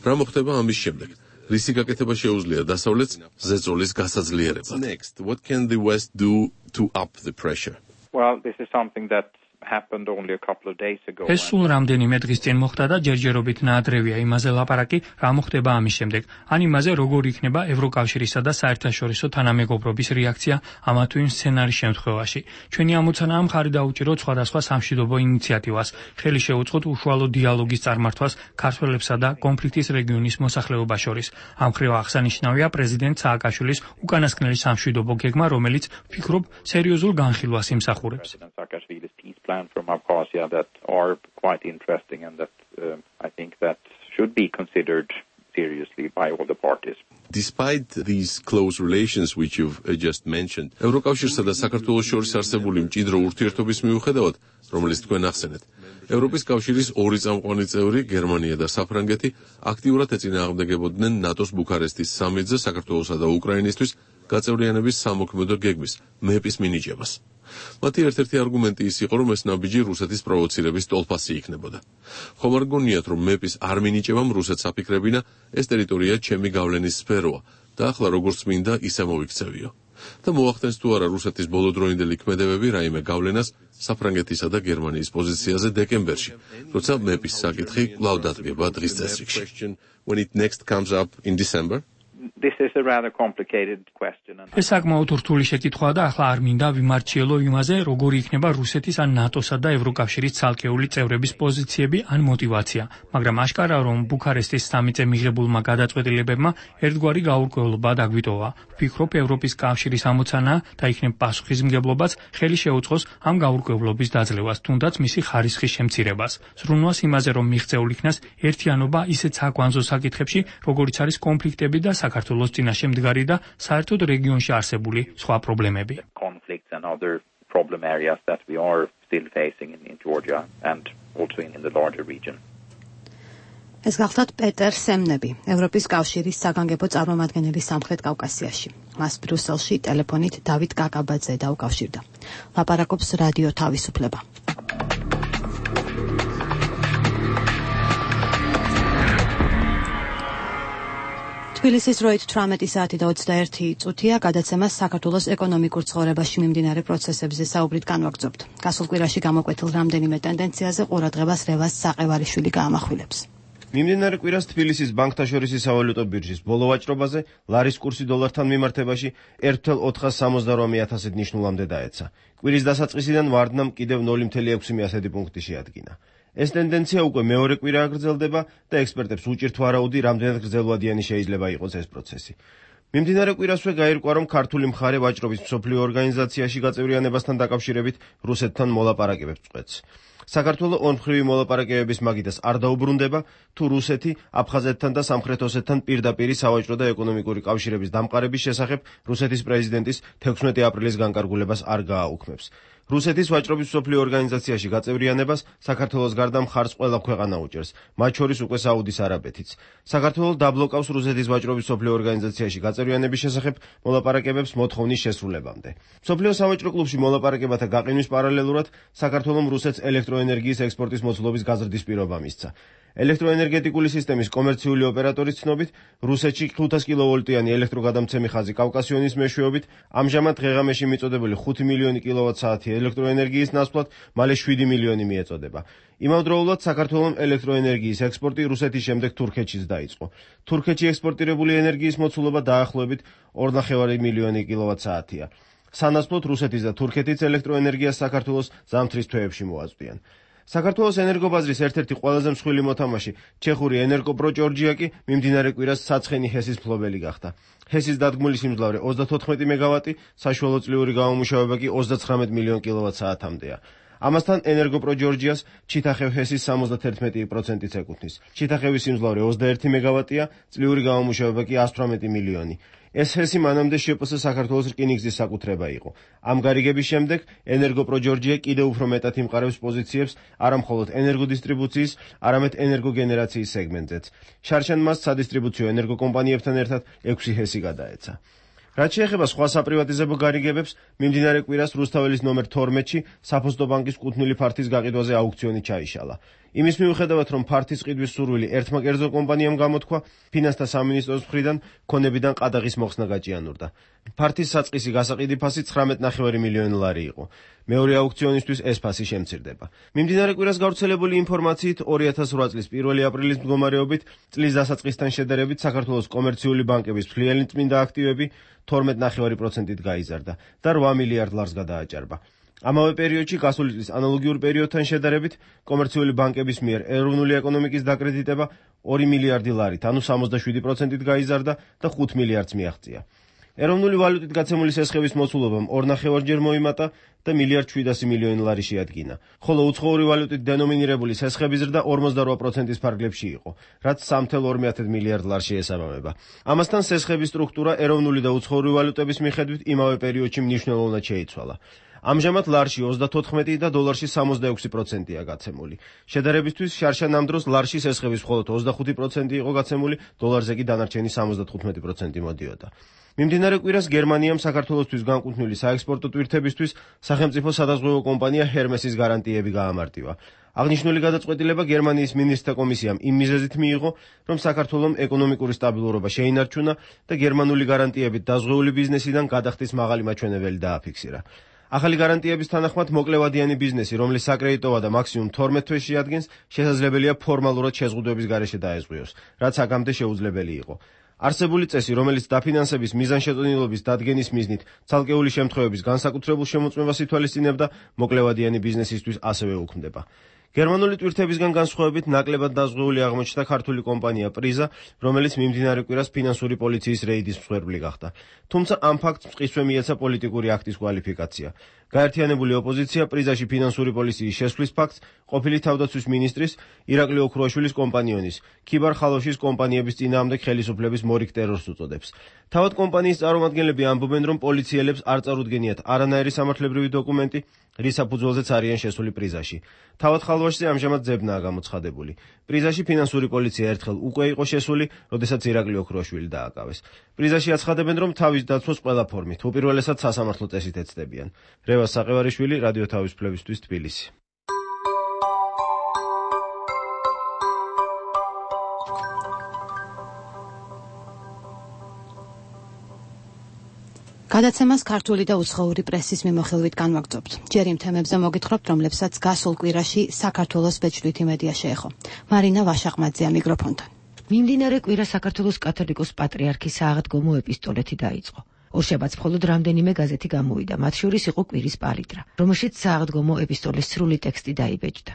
რა მოხდება ამის შემდეგ? რისი გაკეთება შეუძლია დასავლეთს ზეწოლის გასაძლიერებლად? Next, what can the West do to up the pressure? Well, this is something that happened only a couple of days ago. ეს სულ რამდენიმე დღის წინ მოხდა და ჯერჯერობით ნაადრევია იმაზე ლაპარაკი, რა მოხდება ამის შემდეგ. ან იმაზე, როგორ იქნება ევროკავშირისა და საერთაშორისო თანამეგობრობის რეაქცია ამა თუ იმ სცენარის შემთხვევაში. ჩვენი ამოცანაა მხარი დაუჭიროთ სხვადასხვა სამშვიდობო ინიციატივას, ხელი შეუწყოთ უშუალო დიალოგის წარმართვას ქართველებსა და კონფლიქტის რეგიონის მოსახლეობას შორის. ამ მხრივ აღსანიშნავია პრეზიდენტ სააკაშვილის უკანასკნელი სამშვიდობო გეგმა, რომელიც ვფიქრობ სერიოზულ განხილვას იმსახურებს. Saakashvili's peace plan from Abkhazia that are quite interesting and that uh, I think that should be considered seriously by all the parties. Despite these close relations which you've uh, just mentioned, ევროკავშირსა და საქართველოს შორის არსებული მჭიდრო ურთიერთობის მიუხედავად, რომელიც თქვენ ახსენეთ, ევროპის კავშირის ორი წამყვანი წევრი, გერმანია და საფრანგეთი, აქტიურად ეწინააღმდეგებოდნენ ნატოს ბუქარესტის სამიტზე საქართველოსა და უკრაინისთვის გაწევრიანების სამოქმედო გეგმის მეპის მინიჭებას. მათი ერთ-ერთი არგუმენტი ის იყო, რომ ეს ნაბიჯი რუსეთის პროვოცირების ტოლფასი იქნებოდა. ხომ არ გონიათ, რომ მეპის არ მინიჭებამ რუსეთს აფიქრებინა, ეს ტერიტორია ჩემი გავლენის სფეროა და ახლა როგორც მინდა, ისე მოვიქცევიო. და მოახდენს თუ არა რუსეთის ბოლოდროინდელი ქმედებები რაიმე გავლენას საფრანგეთისა და გერმანიის პოზიციაზე დეკემბერში, როცა მეპის საკითხი კვლავ დადგება დღის წესრიგში. When it next comes up in December? This is a rather complicated question. ეს საკმაოდ რთული შეკითხვაა და ახლა არ მინდა ვიმარჩიელო იმაზე, როგორი იქნება რუსეთის ან ნატოსა და ევროკავშირის ცალკეული წევრების პოზიციები ან мотиваცია, მაგრამ აშკარაა, რომ ბუქარესტის სამიტზე მიღებულმა გადაწყვეტილებებმა ერთგვარი გაურკვევლობა დაგვიტოვა. ვფიქრობ, ევროპის კავშირის ამოცანაა და იქნებ პასუხისმგებლობაც ხელი შეუწყოს ამ გაურკვევლობის დაძლევას, თუნდაც მისი ხარისხის შემცირებას. ზრუნვას იმაზე, რომ მიღწეულ იქნას ერთიანობა ისეთ საკვანძო საკითხებში, როგორიც არის კონფლიქტები და საქართველოს წინაშე მდგარი და საერთოდ რეგიონში არსებული სხვა პრობლემები. Conflicts and other problem areas that we are still facing in, in Georgia and also in, in the larger region. ეს გახლავთ პეტერ სემნები, ევროპის კავშირის საგანგებო წარმომადგენელი სამხრეთ კავკასიაში. მას ბრიუსელში ტელეფონით დავით კაკაბაძე დაუკავშირდა. ლაპარაკობს რადიო თავისუფლება. თბილისის დროით თვრამეტი საათი და ოცდაერთი წუთია, გადაცემას საქართველოს ეკონომიკურ ცხოვრებაში მიმდინარე პროცესებზე საუბრით განვაგრძობთ. გასულ კვირაში გამოკვეთილ რამდენიმე ტენდენციაზე ყურადღებას რევას საყევარიშვილი გაამახვილებს. მიმდინარე კვირას თბილისის ბანკთაშორისი სავალუტო ბირჟის ბოლო ვაჭრობაზე ლარის კურსი დოლართან მიმართებაში ერთ ათას ოთხას სამოცდარვამე ათასით ნიშნულამდე დაეცა. კვირის დასაწყისიდან ვარდნამ კიდევ ნული ათას ექვსი პუნქტი შეადგინა. ეს ტენდენცია უკვე მეორე კვირა აგრძელდება და ექსპერტებს უჭირთ ვარაუდი, რამდენად გრძელვადიანი შეიძლება იყოს ეს პროცესი. მიმდინარე კვირასვე გაირკვა, რომ ქართული მხარე ვაჭრობის მსოფლიო ორგანიზაციაში გაწევრიანებასთან დაკავშირებით რუსეთთან მოლაპარაკებებს წყვეტს. საქართველოს ორმხრივი მოლაპარაკებების მაგიდას არ დაუბრუნდება, თუ რუსეთი აფხაზეთთან და სამხრეთ ოსეთთან პირდაპირ სავაჭრო და ეკონომიკური კავშირების დამყარების შესახებ რუსეთის პრეზიდენტის თექვსმეტი აპრილის განკარგულებას არ გააუქმებს. რუსეთის ვაჭრობის მსოფლიო ორგანიზაციაში გაწევრიანებას საქართველოს გარდა მხარს ყველა ქვეყანა უჭერს, მათ შორის უკვე საუდის არაბეთიც. საქართველოს დაბლოკავს რუსეთის ვაჭრობის მსოფლიო ორგანიზაციაში გაწევრიანების შესახებ მოლაპარაკებებს მოთხოვნის შესრულებამდე. მსოფლიო სავაჭრო კლუბში მოლაპარაკებათა გაყინვის პარალელურად საქართველოს რუსეთს ელექტროენერგიის ექსპორტის მოცულობის გაზრდის პირობა მისცა. ელექტროენერგეტიკული სისტემის კომერციული ოპერატორის ცნობით, რუსეთში ხუთას კილოვოლტიანი ელექტროგადამცემი ხაზი კავკასიონის მეშვეობით ამჟამად დღეღამეში მიწოდებული ხუთი მილიონი კილოვატ-საათი ელექტროენერგიის ნაცვლად მალე შვიდი მილიონი მიეწოდება. იმავდროულად საქართველოს ელექტროენერგიის ექსპორტი რუსეთის შემდეგ თურქეთშიც დაიწყო. თურქეთში ექსპორტირებული ენერგიის მოცულობა დაახლოებით ორ მილიონი კილოვატ-საათია. სანაცვლოდ რუსეთის და თურქეთის ელექტროენერგიას საქართველოს ზამთრის თვეებში მოაწვდიან. საქართველოს ენერგობაზრის ერთ-ერთი ყველაზე მსხვილი მოთამაშე ჩეხური ენერგოპრო ჯორჯია კი მიმდინარე კვირას საცხენი ჰესის მფლობელი გახდა. ჰესის დადგმული სიმძლავრე ოცდათოთხმეტი მეგავატი, საშუალო წლიური გამომუშავება კი ოცდაცხრამეტ მილიონ კილოვატ-საათამდეა. ამასთან ენერგოპრო ჯორჯიას ჩიტახევ ჰესის სამოცდაერთმეტი პროცენტიც ეკუთვნის. ჩიტახევის სიმძლავრე ოცდაერთი მეგავატია, წლიური გამომუშავება კი εκατს თვრამეტი მილიონი. ეს ჰესი მანამდე შეპს საქართველოს რკინიგზის საკუთრება იყო. ამ გარიგების შემდეგ ენერგოპრო ჯორჯია კიდევ უფრო მეტად იმყარებს პოზიციებს არამხოლოდ ენერგოდისტრიბუციის, არამედ ენერგოგენერაციის სეგმენტზეც. შარშან მას სადისტრიბუციო ენერგოკომპანიებთან ერთად ექვსი ჰესი გადაეცა. რაც შეეხება სხვა საპრივატიზებო გარიგებებს, მიმდინარე კვირას რუსთაველის ნომერ თორმეტში საფოსტო ბანკის კუთვნილი ფართის გაყიდვაზე აუქციონი ჩაიშალა. იმის მიუხედავად, რომ ფართის ყიდვის სურვილი ერთმა კერძო კომპანიამ გამოთქვა, ფინანსთა სამინისტროს მხრიდან ქონებიდან ყადაღის მოხსნა გაჭიანურდა. ფართის საწყისი გასაყიდი ფასი ცხრამეტ ნახევარი მილიონი ლარი იყო. მეორე აუქციონისთვის ეს ფასი შემცირდება. მიმდინარე კვირას გავრცელებული ინფორმაციით, ორი ათას რვა წლის პირველი აპრილის მდგომარეობით წლის დასაწყისთან შედარებით საქართველოს კომერციული ბანკების მთლიანი წმინდა აქტივები თორმეტ ნახევარი პროცენტით გაიზარდა და რვა მილიარდ ლარს გადააჭარბა. ამავე პერიოდში გასული წლის ანალოგიურ პერიოდთან შედარებით კომერციული ბანკების მიერ ეროვნული ეკონომიკის დაკრედიტება ორი მილიარდი ლარით, ანუ სამოცდაშვიდი პროცენტით გაიზარდა და ხუთ მილიარდს მიაღწია. ეროვნული ვალუტით გაცემული სესხების მოცულობამ ორ ნახევარჯერ მოიმატა და მილიარდ შვიდასი მილიონი ლარი შეადგინა, ხოლო უცხოური ვალუტით დენომინირებული სესხების ზრდა ორმოცდარვა პროცენტის ფარგლებში იყო, რაც სამი წუთი ორი მილიარდ ლარს შეესაბამება. ამასთან სესხების სტრუქტურა ეროვნული და უცხოური ვალუტების მიხედვით იმავე პერიოდში მნიშვნელოვნად შეიცვალა. ამჟამად ლარში ოცდათოთხმეტი და დოლარში სამოცდაექვსი პროცენტია გაცემული. შედარებისთვის, შარშა ამ დროს ლარში სესხების მხოლოდ ოცდახუთი პროცენტი იყო გაცემული, დოლარზე კი დანარჩენი სამოცდათხუთმეტი პროცენტი მოდიოდა. მიმდინარე კვირას გერმანიამ საქართველოსთვის განკუთვნილი საექსპორტო ტვირთებისთვის სახელმწიფო სადაზღვევო კომპანია ჰერმესის გარანტიები გაამარტივა. აღნიშნული გადაწყვეტილება გერმანიის მინისტრთა კომისიამ იმ მიზეზით მიიღო, რომ საქართველოს ეკონომიკური სტაბილურობა შეინარჩუნა და გერმანული გარანტიებით დაზღვეული ბიზნესიდან გადახდის მაღალი მაჩვენებელი დააფიქსირა. ახალი გარანტიების თანახმად მოკლევადიანი ბიზნესი, რომლის საკრედიტო ვადა მაქსიმუმ თორმეტ თვეს შეადგენს, შესაძლებელია ფორმალურად შეზღუდვების გარეშე დაეზღვიოს, რაც აქამდე შეუძლებელი იყო. არსებული წესი, რომელიც დაფინანსების მიზანშეწონილობის დადგენის მიზნით ცალკეული შემთხვევების განსაკუთრებულ შემოწმებას ითვალისწინებდა, მოკლევადიანი ბიზნესისთვის ასევე უქმდება. გერმანული ტვირთებისგან განსხვავებით ნაკლებად დაზღვეული აღმოჩნდა ქართული კომპანია პრიზა, რომელიც მიმდინარე კვირას ფინანსური პოლიციის რეიდის მსხვერპლი გახდა. თუმცა ამ ფაქტს მყისვე მიეცა პოლიტიკური აქტის კვალიფიკაცია. გაერთიანებული ოპოზიცია პრიზაში ფინანსური პოლიციის შესვლის ფაქტს ყოფილი თავდაცვის მინისტრის ირაკლი ოქრუაშვილის კომპანიონის ქიბარ ხალოშის კომპანიების წინააღმდეგ ხელისუფლების მორიგ ტერორს უწოდებს. თავად კომპანიის წარმომადგენლები ამბობენ, რომ პოლიციელებს არ წარუდგენიათ არანაირი სამართლებრივი დოკუმენტი, რის საფუძველზეც არიან შესული პრიზაში. თავად ხალვაშზე ამჟამად ძებნაა გამოცხადებული. პრიზაში ფინანსური პოლიცია ერთხელ უკვე იყო შესული, როდესაც ირაკლი ოქრუაშვილი დააკავეს. პრიზაში აცხადებენ, რომ თავის დაცვას ყველა ფორმით, უპირველესად სასამართლო წესით ეცდებიან. რევას საყევარიშვილი, რადიო თავისუფლებისთვის, თბილისი. გადაცემას ქართული და უცხოური პრესის მიმოხილვით განვაგრძობთ. ჯერ იმ თემებზე მოგითხრობთ, რომლებსაც გასულ კვირაში საქართველოს ბეჭდვითი მედია შეეხო. მარინა ვაშაყმაძეა მიკროფონთან. მიმდინარე კვირა საქართველოს კათოლიკოს პატრიარქის სააღდგომო ეპისტოლეთი დაიწყო. ორშაბათს მხოლოდ რამდენიმე გაზეთი გამოვიდა, მათ შორის იყო კვირის პალიტრა, რომელშიც სააღდგომო ეპისტოლის სრული ტექსტი დაიბეჭდა.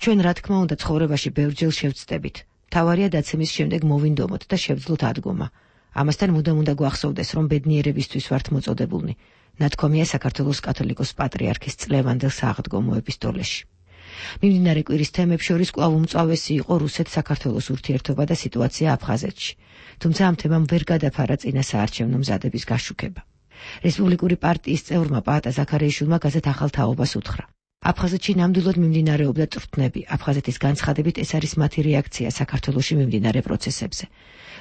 ჩვენ რა თქმა უნდა ცხოვრებაში ბევრჯერ შევცდებით. თავარია დაცემის შემდეგ მოვინდომოთ და შევძლოთ ადგომა. ამასთან მუდამ უნდა გვახსოვდეს, რომ ბედნიერებისთვის ვართ მოწოდებულნი. ნათქვამია საქართველოს კათოლიკოს პატრიარქის წლევანდელ სააღდგომო ეპისტოლეში. მიმდინარე კვირის თემებს შორის კვლავ უმწვავესი იყო რუსეთ-საქართველოს ურთიერთობა და სიტუაცია აფხაზეთში. თუმცა ამ თემამ ვერ გადაფარა წინა საარჩევნო მზადების გაშუქება. რესპუბლიკური პარტიის წევრმა პაატა ზაქარიაშვილმა გაზეთ ახალ თაობას უთხრა. აფხაზეთში ნამდვილად მიმდინარეობდა წვრთნები. აფხაზეთის განცხადებით ეს არის მათი რეაქცია საქართველოში მიმდინარე პროცესებზე.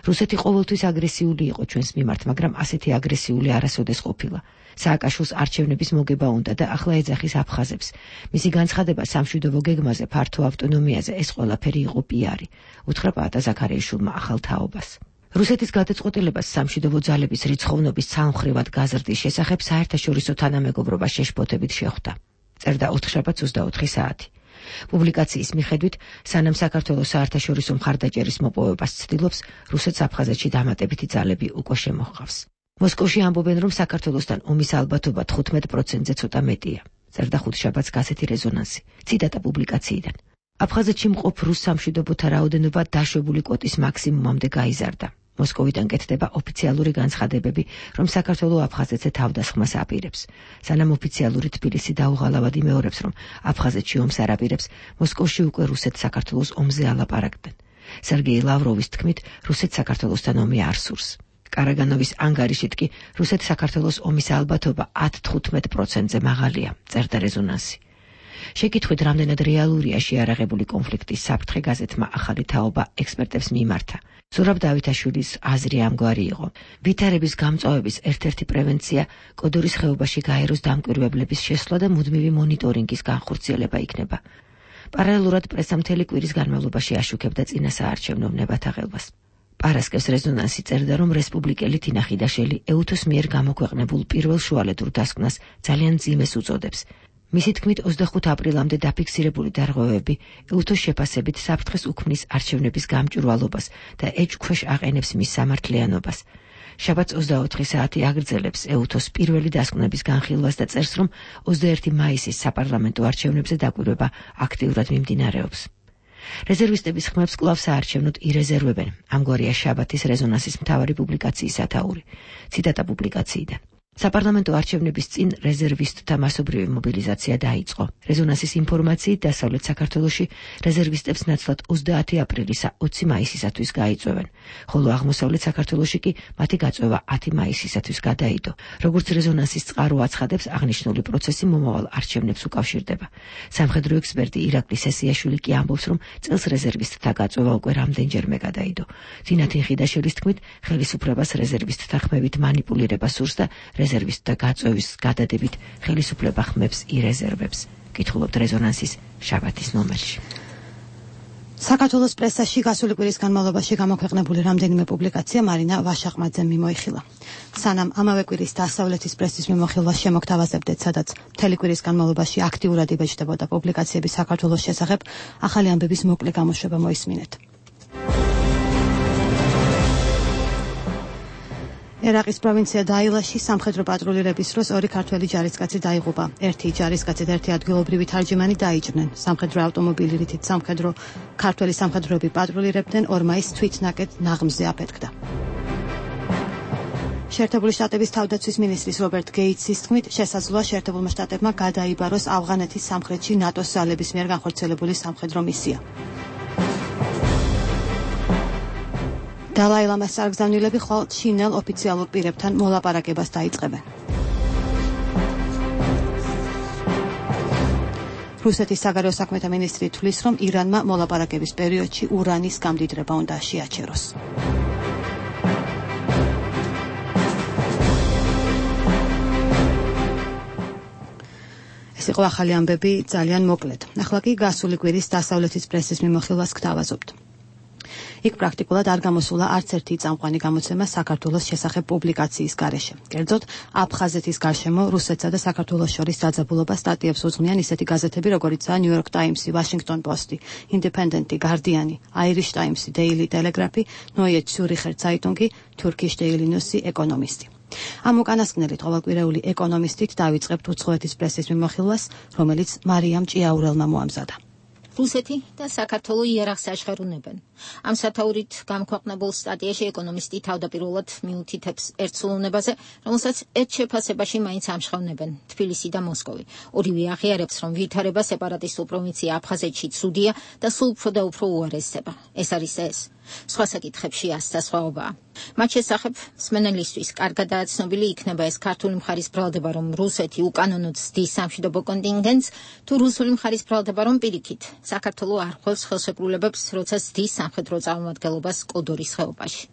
რუსეთი ყოველთვის აგრესიული იყო ჩვენს მიმართ, მაგრამ ასეთი აგრესიული არასოდეს ყოფილა. სააკაშვილს არჩევნების მოგება უნდა და ახლა ეძახის აფხაზებს. მისი განცხადება სამშვიდობო გეგმაზე, ფართო ავტონომიაზე, ეს ყველაფერი იყო პიარი, უთხრა პაატა ზაქარიაშვილმა ახალ თაობას. რუსეთის გადაწყვეტილებას სამშვიდობო ძალების რიცხოვნობის ცალმხრივად გაზრდის შესახებ საერთაშორისო თანამეგობრობა შეშფოთებით შეხვდა. წერდა ოთხშაბათს ოცდაოთხი საათი. პუბლიკაციის მიხედვით, სანამ საქართველოს საერთაშორისო მხარდაჭერის მოპოვებას ცდილობს, რუსეთს აფხაზეთში დამატებითი ძალები უკვე შემოჰყავს. მოსკოვში ამბობენ, რომ საქართველოსთან ომის ალბათობა თხუთმეტ პროცენტზე ცოტა მეტია. წერდა ხუთშაბათს გაზეთი რეზონანსი. ციტატა პუბლიკაციიდან. აფხაზეთში მყოფ რუს სამშვიდობოთა რაოდენობა დაშვებული კვოტის მაქსიმუმამდე გაიზარდა. მოსკოვიდან კეთდება ოფიციალური განცხადებები, რომ საქართველო აფხაზეთზე თავდასხმას აპირებს. სანამ ოფიციალური თბილისი დაუღალავად იმეორებს, რომ აფხაზეთში ომს არ აპირებს, მოსკოვში უკვე რუსეთს საქართველოს ომზე ალაპარაკდნენ. სერგეი ლავროვის თქმით, რუსეთს საქართველოსთან ომი არ სურს. კარაგანოვის ანგარიშით კი რუსეთს საქართველოს ომის ალბათობა ათ თხუთმეტ პროცენტზე მაღალია, წერდა რეზონანსი. შეკითხვით, რამდენად რეალურია შეარაღებული კონფლიქტის საფრთხე, გაზეთმა ახალი თაობა ექსპერტებს მიმართა. ზურაბ დავითაშვილის აზრი ამგვარი იყო. ვითარების გამწვავების ერთ-ერთი პრევენცია კოდორის ხეობაში გაეროს დამკვირვებლების შესვლა და მუდმივი მონიტორინგის განხორციელება იქნება. პარალელურად პრესა მთელი კვირის განმავლობაში აშუქებდა წინასაარჩევნო ნებათაღელვას. პარასკევს რეზონანსი წერდა, რომ რესპუბლიკელი თინა ხიდაშელი ეუთოს მიერ გამოქვეყნებულ პირველ შუალედურ დასკვნას ძალიან მძიმეს უწოდებს. მისი თქმით, ოცდახუთ აპრილამდე დაფიქსირებული დარღვევები ეუთოს შეფასებით საფრთხეს უქმნის არჩევნების გამჭვირვალობას და ეჭვქვეშ აყენებს მის სამართლიანობას. შაბათს ოცდაოთხი საათი აგრძელებს ეუთოს პირველი დასკვნების განხილვას და წერს, რომ ოცდაერთი მაისის საპარლამენტო არჩევნებზე დაკვირვება აქტიურად მიმდინარეობს. რეზერვისტების ხმებს კვლავ საარჩევნოდ ირეზერვებენ. ამგვარია შაბათის რეზონანსის მთავარი პუბლიკაციის სათაური. ციტატა პუბლიკაციიდან. საპარლამენტო არჩევნების წინ რეზერვისტთა მასობრივი მობილიზაცია დაიწყო. რეზონანსის ინფორმაციით დასავლეთ საქართველოში რეზერვისტებს ნაცვლად ოცდაათი აპრილისა ოცი მაისისათვის გაიწვევენ, ხოლო აღმოსავლეთ საქართველოში კი მათი გაწვევა ათი მაისისათვის გადაიდო. როგორც რეზონანსის წყარო აცხადებს, აღნიშნული პროცესი მომავალ არჩევნებს უკავშირდება. სამხედრო ექსპერტი ირაკლი სესიაშვილი კი ამბობს, რომ წელს რეზერვისტთა გაწვევა უკვე რამდენჯერმე გადაიდო. თინათინ ხიდაშელის თქმით, ხელისუფლებას რეზერვისტთა ხმებით მანიპულირება სურს და რეზერვისტთა გაწვევის გადადებით ხელისუფლება ხმებს ირეზერვებს. კითხულობთ რეზონანსის შაბათის ნომერში. საქართველოს პრესაში გასული კვირის განმავლობაში გამოქვეყნებული რამდენიმე პუბლიკაცია მარინა ვაშაყმაძემ მიმოიხილა. სანამ ამავე კვირის დასავლეთის პრესის მიმოხილვას შემოგთავაზებდეთ, სადაც მთელი კვირის განმავლობაში აქტიურად იბეჭდებოდა პუბლიკაციები საქართველოს შესახებ, ახალი ამბების მოკლე გამოშვება მოისმინეთ. ერაყის პროვინცია დაილაში სამხედრო პატრულირების დროს ორი ქართველი ჯარისკაცი დაიღუპა. ერთი ჯარისკაცი და ერთი ადგილობრივი თარჯიმანი დაიჭრნენ. სამხედრო ავტომობილი, რითიც სამხედრო ქართველი სამხედროები პატრულირებდნენ, ორმა ის თვითნაკეთ ნაღმზე აფეთქდა. შეერთებული შტატების თავდაცვის მინისტრის რობერტ გეიტსის თქმით, შესაძლოა შეერთებულმა შტატებმა გადაიბაროს ავღანეთის სამხრეთში ნატოს ძალების მიერ განხორციელებული სამხედრო მისია. დალაი ლამას წარგზავნილები ხვალ ჩინელ ოფიციალურ პირებთან მოლაპარაკებას დაიწყებენ. რუსეთის საგარეო საქმეთა მინისტრი თვლის, რომ ირანმა მოლაპარაკების პერიოდში ურანის გამდიდრება უნდა შეაჩეროს. ეს იყო ახალი ამბები ძალიან მოკლედ. ახლა კი გასული კვირის დასავლეთის პრესის მიმოხილვას გთავაზობთ. იქ პრაქტიკულად არ გამოსულა არც ერთი წამყვანი გამოცემა საქართველოს შესახებ პუბლიკაციის გარეშე. კერძოდ, აფხაზეთის გარშემო რუსეთსა და საქართველოს შორის დაძაბულობა სტატიებს უძღვნიან ისეთი გაზეთები, როგორიცაა New York Times, Washington Post, Independent, Guardian, Irish Times, Daily Telegraph, Neue Zürcher Zeitung, Turkish Daily News, Economist. ამ უკანასკნელით ყოველკვირეული ეკონომისტით დავიწყებთ უცხოეთის პრესის მიმოხილვას, რომელიც მარიამ ჭიაურელმა მოამზადა. რუსეთი და საქართველო იარაღს აშხერუნებენ. ამ სათაურით გამქვეყნებულ სტატიაში ეკონომისტი თავდაპირველად მიუთითებს ერთ სულოვნებაზე, რომელსაც ერთ შეფასებაში მაინც ამჟღავნებენ თბილისი და მოსკოვი. ორივე აღიარებს, რომ ვითარება სეპარატისტულ პროვინცია აფხაზეთში ცუდია და სულ უფრო და უფრო უარესდება. ეს არის ეს. სხვა საკითხებში ასთა სხვაობაა. მათ შესახებ მსმენელისთვის კარგადაა ცნობილი იქნება ეს ქართული მხარის ბრალდება, რომ რუსეთი უკანონოდ ზრდის სამშვიდობო კონტინგენტს, თუ რუსული მხარის ბრალდება, რომ პირიქით საქართველო არ ხვევს ხელშეკრულებებს, როცა ზრდის სამხედრო წარმომადგენლობას კოდორის ხეობაში.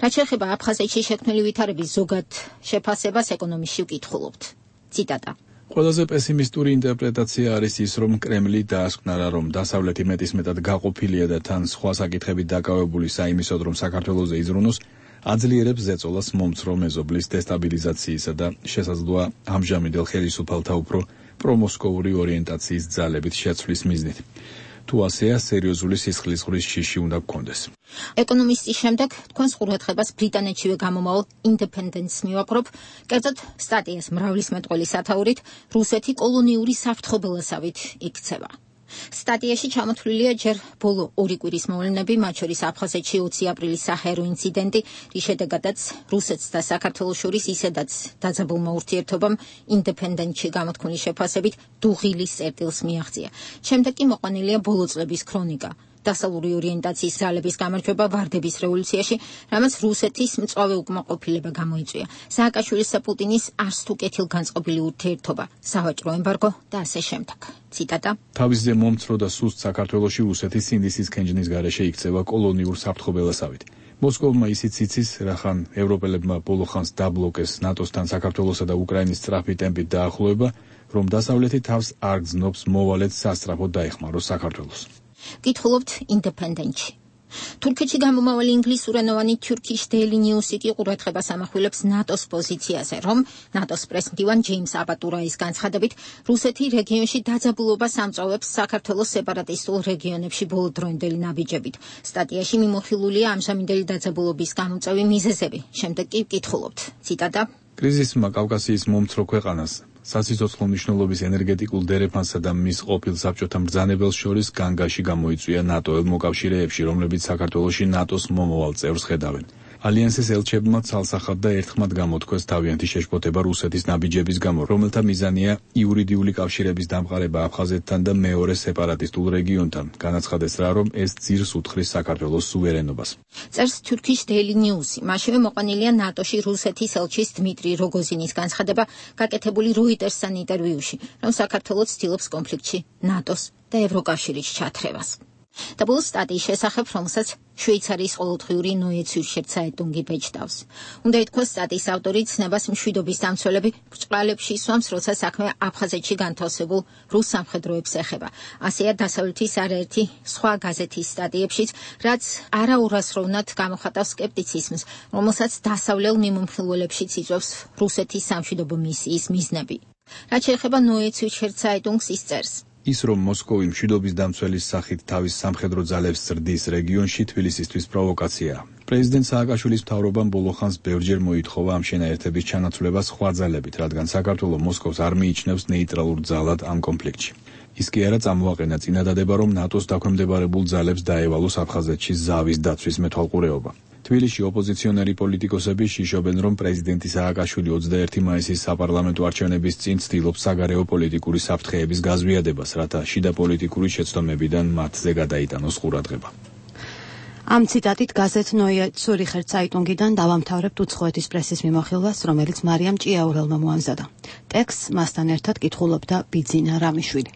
რაც შეეხება აფხაზეთში შექმნილი ვითარების ზოგად შეფასებას ეკონომისტში ვკითხულობთ. ციტატა. ყველაზე პესიმისტური ინტერპრეტაცია არის ის, რომ კრემლი დაასკვნა, რომ დასავლეთი მეტისმეტად გაყოფილია და თან სხვა საკითხებით დაკავებული საიმისოდ, რომ საქართველოზე იზრუნოს, აძლიერებს ზეწოლას მომცრო მეზობლის დესტაბილიზაციისა და შესაძლოა ამჟამინდელ ხელისუფალთა უფრო პრომოსკოვური ორიენტაციის ძალებით შეცვლის მიზნით. თუ ასეა, სერიოზული სისხლისღვრიის შიში უნდა გქონდეს. ეკონომისტის შემდეგ თქვენს ყურადღებას ბრიტანეთშივე გამომავალ Independence მივაპყრობ, კერძოდ სტატიას მრავლის მეტყველი სათაურით რუსეთი კოლონიური საფრთხობელასავით იქცევა. სტატიაში ჩამოთვლილია ჯერ ბოლო ორი კვირის მოვლენები, მათ შორის აფხაზეთში ოცი აპრილის საჰაერო ინციდენტი, რის შედეგადაც რუსეთს და საქართველოს შორის ისედაც დაძაბულმა ურთიერთობამ Independence-ში გამოთქმული შეფასებით დუღილის წერტილს მიაღწია. შემდეგ კი მოყვანილია ბოლო წლების ქრონიკა. დასავლური ორიენტაციის ძალების გამარჯვება ვარდების რევოლუციაში, რამაც რუსეთის მწვავე უკმაყოფილება გამოიწვია. სააკაშვილის და პუტინის არც თუ კეთილგანწყობილი ურთიერთობა, სავაჭრო ემბარგო და ასე შემდეგ. ციტატა. თავისზე მომცრო და სუსტ საქართველოში რუსეთის სინდისის ქენჯნის გარეშე იქცევა კოლონიურ საფრთხობელასავით. მოსკოვმა ისიც იცის, რახან ევროპელებმა ბოლო ხანს დაბლოკეს ნატოსთან საქართველოსა და უკრაინის სწრაფი ტემპით დაახლოება, რომ დასავლეთი თავს არ გზნობს მოვალედ სასწრაფოდ დაეხმაროს საქართველოს. გითხულობთ ინდეპენდენტში. თურქეთში გამომავალი ინგლისურენოვანი Turkish Daily News-ი კი ყურადღებას ამახვილებს ნატოს პოზიციაზე, რომ ნატოს პრესმდივან ჯეიმს აბატურაის განცხადებით, რუსეთი რეგიონში დაძაბულობას ამწვავებს საქართველოს სეპარატისტულ რეგიონებში ბოლოდროინდელი ნაბიჯებით. სტატიაში მიმოხილულია ამჟამინდელი დაძაბულობის გამომწვევი მიზეზები. შემდეგ კი გითხულობთ. ციტატა: კრიზისმა კავკასიის მომცრო ქვეყანას სასიცოცხლო მნიშვნელობის ენერგეტიკულ დერეფანსა და მის ყოფილ საბჭოთა მბრძანებელს შორის განგაში გამოიწვია ნატო-ელ მოკავშირეებში, რომლებიც საქართველოში ნატოს მომავალ წევრს ხედავენ. ალიანსის ელჩებმა ცალსახად და ერთხმად გამოთქვეს თავიანთი შეშფოთება რუსეთის ნაბიჯების გამო, რომელთა მიზანია იურიდიული კავშირების დამყარება აფხაზეთთან და მეორე სეპარატისტულ რეგიონთან. განაცხადეს რა, რომ ეს ძირს უთხრის საქართველოს სუვერენობას. წერს Turkish Daily News-ი. მასშევე მოყვანილია ნატოში რუსეთის ელჩის დმიტრი როგოზინის განცხადება გაკეთებული Reuters-სთან ინტერვიუში, რომ საქართველოს ცდილობს კონფლიქტში ნატოს და ევროკავშირის ჩათრევას. და ბოლოს სტატიის შესახებ, რომელსაც შვეიცარიის ყოველდღიური Neue Zürcher Zeitung ბეჭდავს. უნდა ითქვას, სტატიის ავტორი ცნებას მშვიდობის დამცველები ბრჭყალებში სვამს, როცა საქმე აფხაზეთში განთავსებულ რუს სამხედროებს ეხება. ასეა დასავლეთის არაერთი სხვა გაზეთის სტატიებშიც, რაც არაურასროვნად გამოხატავს სკეპტიციზმს, რომელსაც დასავლელ მიმომხილველებშიც იწვევს რუსეთის სამშვიდობო მისიის მიზნები. რაც შეეხება Neue Zürcher Zeitung-ს ის წერს: ის, რომ მოსკოვი მშვიდობის დამცველის სახით თავის სამხედრო ძალებს ზრდის რეგიონში, თბილისისთვის პროვოკაციაა. პრეზიდენტ სააკაშვილის მთავრობამ ბოლო ხანს ბევრჯერ მოითხოვა ამ შენაერთების ჩანაცვლება სხვა ძალებით, რადგან საქართველო მოსკოვს არ მიიჩნევს ნეიტრალურ ძალად ამ კონფლიქტში. ის კი არა წამოაყენა წინადადება, რომ ნატოს დაქვემდებარებულ ძალებს დაევალოს აფხაზეთში ზავის დაცვის მეთვალყურეობა. თბილისში ოპოზიციონერი პოლიტიკოსები შიშობენ, რომ პრეზიდენტი სააკაშვილი ოცდაერთი მაისის საპარლამენტო არჩევნების წინ ცდილობს საგარეო პოლიტიკური საფრთხეების გაზვიადებას, რათა შიდა პოლიტიკური შეცდომებიდან მათზე გადაიტანოს ყურადღება. ამ ციტატით გაზეთ Neue Zürcher Zeitung-იდან დავამთავრებთ უცხოეთის პრესის მიმოხილვას, რომელიც მარიამ ჭიაურელმა მოამზადა. ტექსტს მასთან ერთად კითხულობდა ბიძინა რამიშვილი.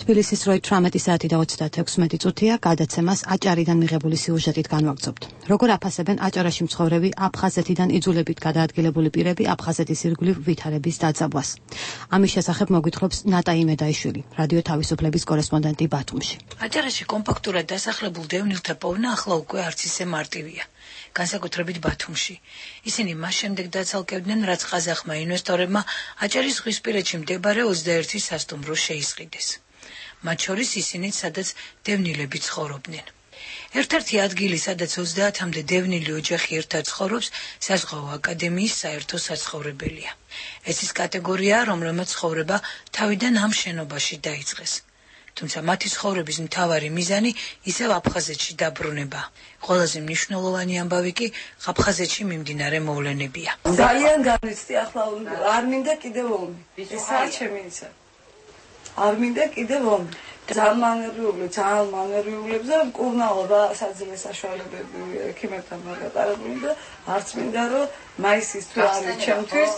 თბილისის როი თვრამეტი საათი და ოცდაექვსი წუთია გადაცემას აჭარიდან მიღებული სიუჟეტით განვაგრძობთ. როგორ აფასებენ აჭარაში მცხოვრები აფხაზეთიდან იძულებით გადაადგილებული პირები აფხაზეთის ირგვლივ ვითარების დაძაბვას. ამის შესახებ მოგვითხრობს ნატა იმედაიშვილი, რადიო თავისუფლების კორესპონდენტი ბათუმში. აჭარაში კომპაქტურად დასახლებულ დევნილთა პოვნა ახლა უკვე არც ისე მარტივია. განსაკუთრებით ბათუმში. ისინი მას შემდეგ დაცალკევდნენ, რაც ყაზახმა ინვესტორებმა აჭარის ზღვისპირეთში მდებარე ოცდაერთი სასტუმრო შეისყიდეს. მათ შორის ისინიც, სადაც დევნილები ცხოვრობდნენ. ერთ-ერთი ადგილი, სადაც ოცდაათამდე დევნილი ოჯახი ერთად ცხოვრობს, საზღვაო აკადემიის საერთო საცხოვრებელია. ეს ის კატეგორიაა, რომელმაც ცხოვრება თავიდან ამ შენობაში დაიწყეს. თუმცა მათი ცხოვრების მთავარი მიზანი ისევ აფხაზეთში დაბრუნება. ყველაზე მნიშვნელოვანი ამბავი კი აფხაზეთში მიმდინარე მოვლენებია. ძალიან განიცდი, ახლა არ მინდა კიდევ ომი. ეს არ ჩემი ისა. არ მინდა კიდევ ომი. ძალიან მანერიული, ძალიან მანერიულებს და მკურნალო და საძილე საშუალებები ექიმებთან მოგატარებული და არც მინდა რომ მაისის თვე არის ჩემთვის,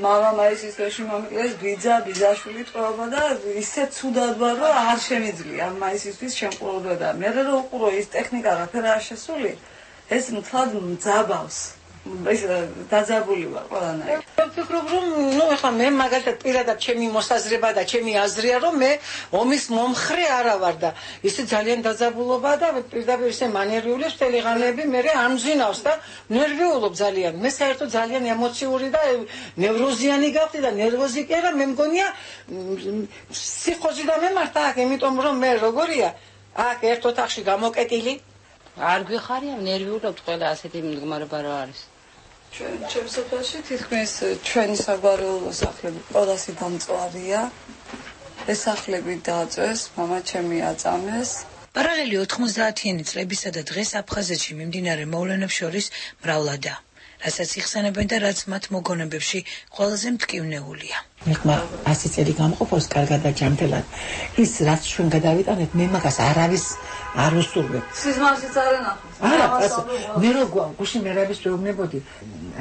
მამა მაისის თვეში მომიკლეს ბიძა, ბიძაშვილი ტყუობა და ისე ცუდად ვარ რომ არ შემიძლია მაისისთვის შემყურულება და მე რომ უყურო ის ტექნიკა რაფერ არ შესული, ეს მთლად მძაბავს. ეს დაძაბული ვარ ყველანაირად. ვფიქრობ რომ ნუ ეხლა მე მაგალითად პირადად ჩემი მოსაზრება და ჩემი აზრია რომ მე ომის მომხრე არა ვარ და ისე ძალიან დაძაბულობა და პირდაპირ ისე მანერიული სტელიღანები მე ამზინავს და ნერვიულობ ძალიან. მე საერთოდ ძალიან ემოციური და ნევროზიანი გავხდი და ნერვოზი კი არა, მე მგონია ფსიქოზი და მემართა აქ, იმიტომ რომ მე როგორია აქ ერთ ოთახში გამოკეტილი არ გვიხარია, ნერვიულობთ ყველა ასეთი მდგომარეობა რა არის. ჩვენ ჩემს სოფელში თითქმის ჩვენი საგვარეულო სახლები ყველასი დამწვარია. ეს სახლები დააწვეს, მამა ჩემი აწამეს. პარალელი ოთხმოცდაათიანი წლებისა და დღეს აფხაზეთში მიმდინარე მოვლენებს შორის მრავლადაა, რასაც იხსენებენ და რაც მათ მოგონებებში ყველაზე მტკივნეულია. მეკმა ასი წელი გამყოფოს კარგად და ჯანმრთელად. ის რაც ჩვენ გადავიტანეთ, მე მაგას არავის არ უსურვებ. სიზმარშიც არ ენახავს. არა, მე რო გუშინ მერაბის შეუბნებოდი.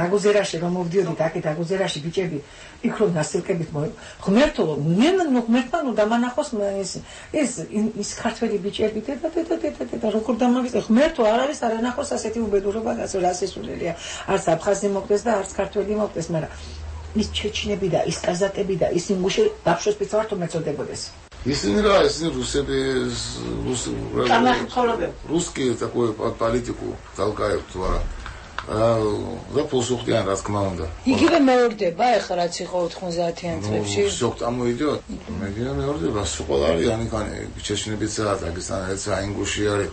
აგუზერაში რომ მოვდიოდი, აკეთ აგუზერაში ბიჭები იქ რომ დასილკებით მო ღმერთო, მე ღმერთმა ნუ დამანახოს ის ეს ის ქართველი ბიჭები და და და და და როგორ დამაგის ღმერთო არავის არ ენახოს ასეთი უბედურობა გასო რასესულელია. არც აფხაზი მოკდეს და არც ქართველი მოკდეს, მაგრამ ის ჩეჩნები და ის კაზაკები და ის ინგუში დაფშოს პიცვართო მეწოდებოდეს. ისინი რა, ისინი რუსები, რუს რუსკი такой политику толкают, ვარა. და პოსუხტიან რა თქმა უნდა. იგივე მეორდება ახლა რაც იყო ოთხმოცდაათიან წლებში. შოქ წამოიდიო. მე გინდა მეორდება, სულ არის ანიკანი, ჩეჩნებიცა, დაგესტანეცა, ინგუში არის.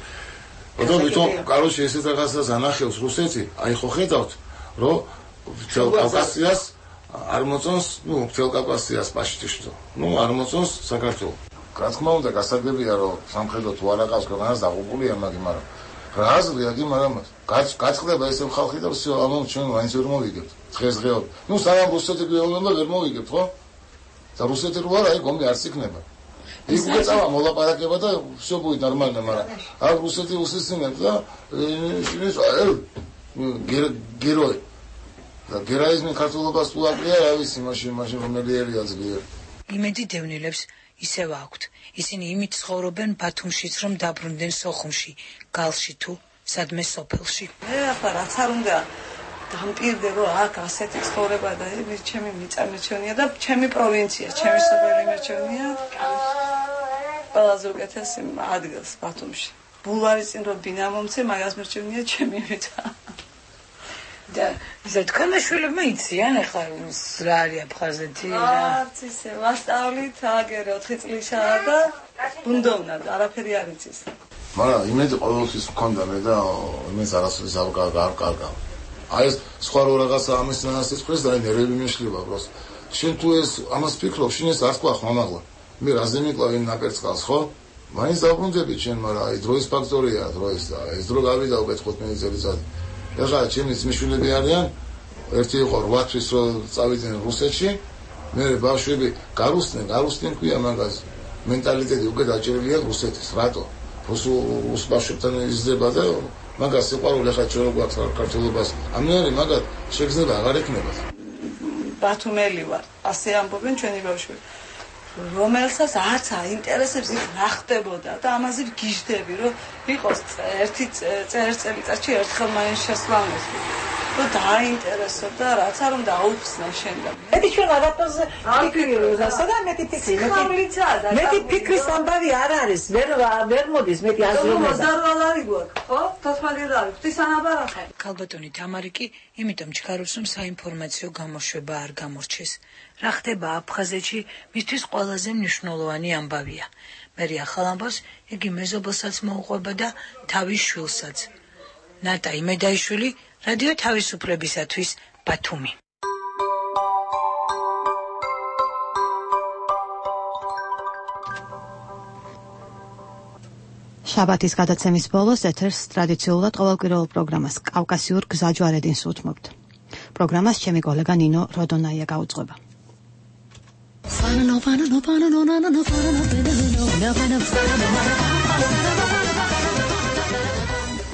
ოდო ვიტო, კაროჩი ესეთ რაღაცას ანახავს რუსეთი, აი ხო ხედავთ, რომ მთელ კავკასიას არ მოწონს, ნუ მთელ კავკასიას პაშტიშტო. ნუ არ მოწონს საქართველოს. რა თქმა უნდა, გასაგებია რომ სამხედრო თუ არ აყავს ქვეყანას დაღუპულია მაგი, მაგრამ რა აზრია გი, მაგრამ გაწყდება ესე ხალხი და всё, ანუ ჩვენ მაინც ვერ მოვიგებთ. დღესდღეობით. ნუ სანამ რუსეთი გვეუბნება ვერ მოვიგებთ, ხო? და რუსეთი რო არა, აი გომი არც იქნება. იქ უკვე წავა მოლაპარაკება და всё будет нормально, მაგრამ აქ რუსეთი უსისინებს და ის გეროი და გერაიზმი ქართულობას თუ აკლია, რა ვიცი, მაშინ მაშინ რომელი ერია ძლიერი. იმედი დევნილებს ისევ აქვთ. ისინი იმით ცხოვრობენ ბათუმშიც, რომ დაბრუნდნენ სოხუმში, გალში თუ სადმე სოფელში. მე ახლა რაც არ უნდა დამპირდე, რომ აქ ასეთი ცხოვრება და ეს ჩემი მიწარმეჩვენია და ჩემი პროვინცია, ჩემი სოფელი მეჩვენია. ყველაზე უკეთესი ადგილს ბათუმში. ბულვარის წინ რო ბინა მომცე, მაგას მერჩვენია ჩემი მიწა. და ისე თქვენმა შვილებმა იციან ახლა რა არის აფხაზეთი რა? არც ისე, ვასწავლით აგერე ოთხი წლისაა და ბუნდოვნა და არაფერი არ იცის. მაგრამ იმედი ყოველთვის მქონდა მე და იმის არასოდეს არ კარგავ. აი ეს სხვა რო რაღაცა ამის ნასწრებს და ნერვები მეშლება პროს. შენ თუ ეს ამას ფიქრობ, შენ ეს არ თქვა ხმამაღლა. მე რაზე მიკლავენ ნაკერწკალს, ხო? მაინც დაბრუნდები შენ, მაგრამ აი დროის ფაქტორია, დროის და ეს დრო გავიდა უკვე თხუთმეტი წელიწადი. ეხლა ჩემი ძმისშვილები არიან, ერთი იყო რვა თვის რო წავიდნენ რუსეთში, მე ბავშვები გარუსდნენ, გარუსდნენ ქვია მაგას. მენტალიტეტი უკვე დაჭერილია რუსეთის, რატო? რუს ბავშვებთან იზრდება და მაგას სიყვარული ხა ჩვენ გვაქვს ქართულობას. ამნაირი მაგათ შეგრძნება აღარ ექნება. ბათუმელი ვარ, ასე ამბობენ ჩვენი ბავშვები. რომელსაც არც აინტერესებს ის რა ხდებოდა და ამაზე გიждდები, რომ იყოს ერთი წელიწადში ერთხელ მაინც შესვლა. და დაინტერესო და რაც არ უნდა აუხსნა შენ და მე ჩვენ რაღაცაზე ფიქრობ და მეტი ფიქრი მეტი ფიქრის ამბავი არ არის ვერ ვერ მოდის მეტი აზროვნება მოზარვალარი გვაქვს ხო თოთმალი რა არის ღვთისანაბარახე ქალბატონი თამარი კი იმიტომ ჩქარობს რომ საინფორმაციო გამოშვება არ გამორჩეს რა ხდება აფხაზეთში მისთვის ყველაზე მნიშვნელოვანი ამბავია მერი ახალ ამბავს იგი მეზობელსაც მოუყვება და თავის შვილსაც ნატა იმედაიშვილი რადიო თავისუფლებისათვის ბათუმი შაბათის გადაცემის ბოლოს ეთერს ტრადიციულად ყოველკვირეულ პროგრამას კავკასიურ გზაჯვარედინს უთმობთ. პროგრამას ჩემი კოლეგა ნინო როდონაია გაუძღვება.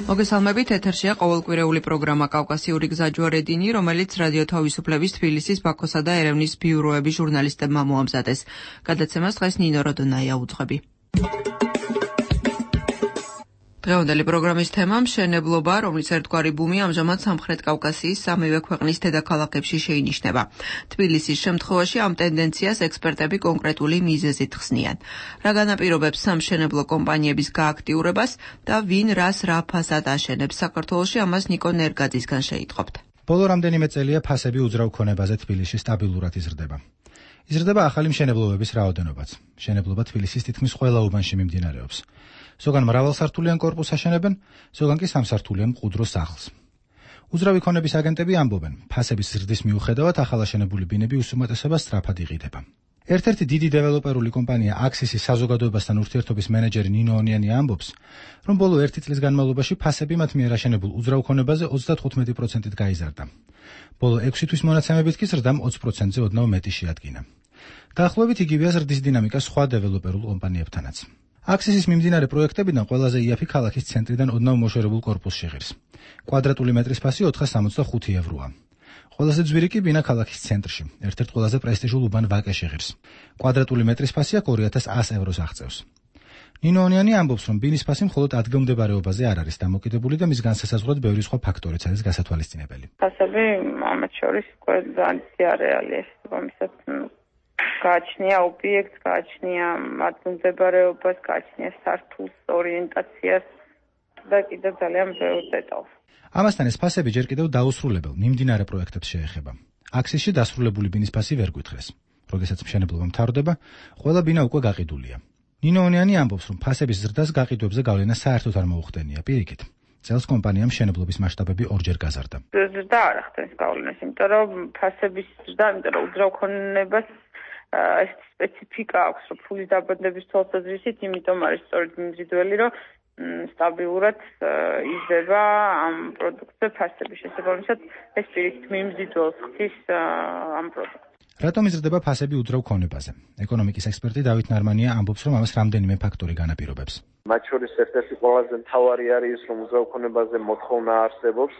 მოგესალმებით, ეთერშია ყოველკვირეული პროგრამა კავკასიური გზაჯვარედინი, რომელიც რადიო თავისუფლების თბილისის, ბაქოსა და ერევნის ბიუროების ჟურნალისტებმა მოამზადეს. გადაცემას დღეს ნინო როდონაია უძღვები. დღევანდელი პროგრამის თემა მშენებლობა, რომლის ერთგვარი ბუმი ამჟამად სამხრეთ კავკასიის სამივე ქვეყნის დედაქალაქებში შეინიშნება. თბილისის შემთხვევაში ამ ტენდენციას ექსპერტები კონკრეტული მიზეზით ხსნიან. რა განაპირობებს სამშენებლო კომპანიების გააქტიურებას და ვინ რას რა ფასად აშენებს საქართველოში, ამას ნიკო ნერგაძისგან შეიტყობთ. ბოლო რამდენიმე წელია ფასები უძრავ ქონებაზე თბილისში სტაბილურად იზრდება. იზრდება ახალი მშენებლობების რაოდენობაც. მშენებლობა თბილისის თითქმის ყველა უბანში მიმდინარეობს. ზოგან მრავალსართულიან კორპუსს აშენებენ, ზოგან კი სამსართულიან მყუდრო სახლს. უძრავი ქონების აგენტები ამბობენ, ფასების ზრდის მიუხედავად ახალაშენებული ბინები უსუმატესობას სწრაფად იყიდება. ერთ-ერთი დიდი დეველოპერული კომპანია აქსისის საზოგადოებასთან ურთიერთობის მენეჯერი ნინო ონიანი ამბობს, რომ ბოლო ერთი წლის განმავლობაში ფასები მათ მიერ აშენებულ უძრავ ქონებაზე ოცდათხუთმეტი პროცენტით გაიზარდა. ბოლო ექვსი თვის მონაცემებით კი ზრდამ ოცი პროცენტზე ოდნავ მეტი შეადგინა. დაახლოებით იგივეა ზრდის დინამიკა სხვა დეველოპერულ კომპანიებთანაც. აქსისის მიმდინარე პროექტებიდან ყველაზე იაფი ქალაქის ცენტრიდან ოდნავ მოშორებულ კორპუსში ღირს. კვადრატული მეტრის ფასი ოთხას სამოცდახუთი ევროა. ყველაზე ძვირი კი ბინა ქალაქის ცენტრში, ერთ-ერთ ყველაზე პრესტიჟულ უბან ვაკეში ღირს. კვადრატული მეტრის ფასი აქ ორი ათას ას ევროს აღწევს. ნინო ონიანი ამბობს, რომ ბინის ფასი მხოლოდ ადგილმდებარეობაზე არ არის დამოკიდებული და მის განსასაზღვრად ბევრი სხვა ფაქტორიც არის გასათვალისწინებელი. ფასები ამათ შორის ყველაზე არეალი ეს მომისად გააჩნია ობიექტს, გააჩნია ადგილმდებარეობას, გააჩნია სართულს, ორიენტაციას და კიდევ ძალიან ბევრ დეტალს. ამასთან ეს ფასები ჯერ კიდევ დაუსრულებელ მიმდინარე პროექტებს შეეხება. აქსისში დასრულებული ბინის ფასი ვერ გვითხრეს. როდესაც მშენებლობა მთავრდება, ყველა ბინა უკვე გაყიდულია. ნინო ონიანი ამბობს, რომ ფასების ზრდას გაყიდვებზე გავლენა საერთოდ არ მოუხდენია. პირიქით, წელს კომპანიამ მშენებლობის მასშტაბები ორჯერ გაზარდა. ზრდა არ ახდენს გავლენას, იმიტომ რომ ფასების ზრდა, იმიტომ რომ უძრავქონებას ეს სპეციფიკა აქვს, რომ ფულის დაბადების თვალსაზრისით, იმიტომ არის სწორედ მიმზიდველი, რომ სტაბილურად იზრდება ამ პროდუქტზე ფასების შესაბამისად, ეს პირიქით მიმზიდველს ხდის ამ პროდუქტს. რატომ იზრდება ფასები უძრავ ქონებაზე? ეკონომიკის ექსპერტი დავით ნარმანია ამბობს, რომ ამას რამდენიმე ფაქტორი განაპირობებს. მათ შორის ერთ-ერთი ყველაზე მთავარი არის ის, რომ უძრავ ქონებაზე მოთხოვნა არსებობს.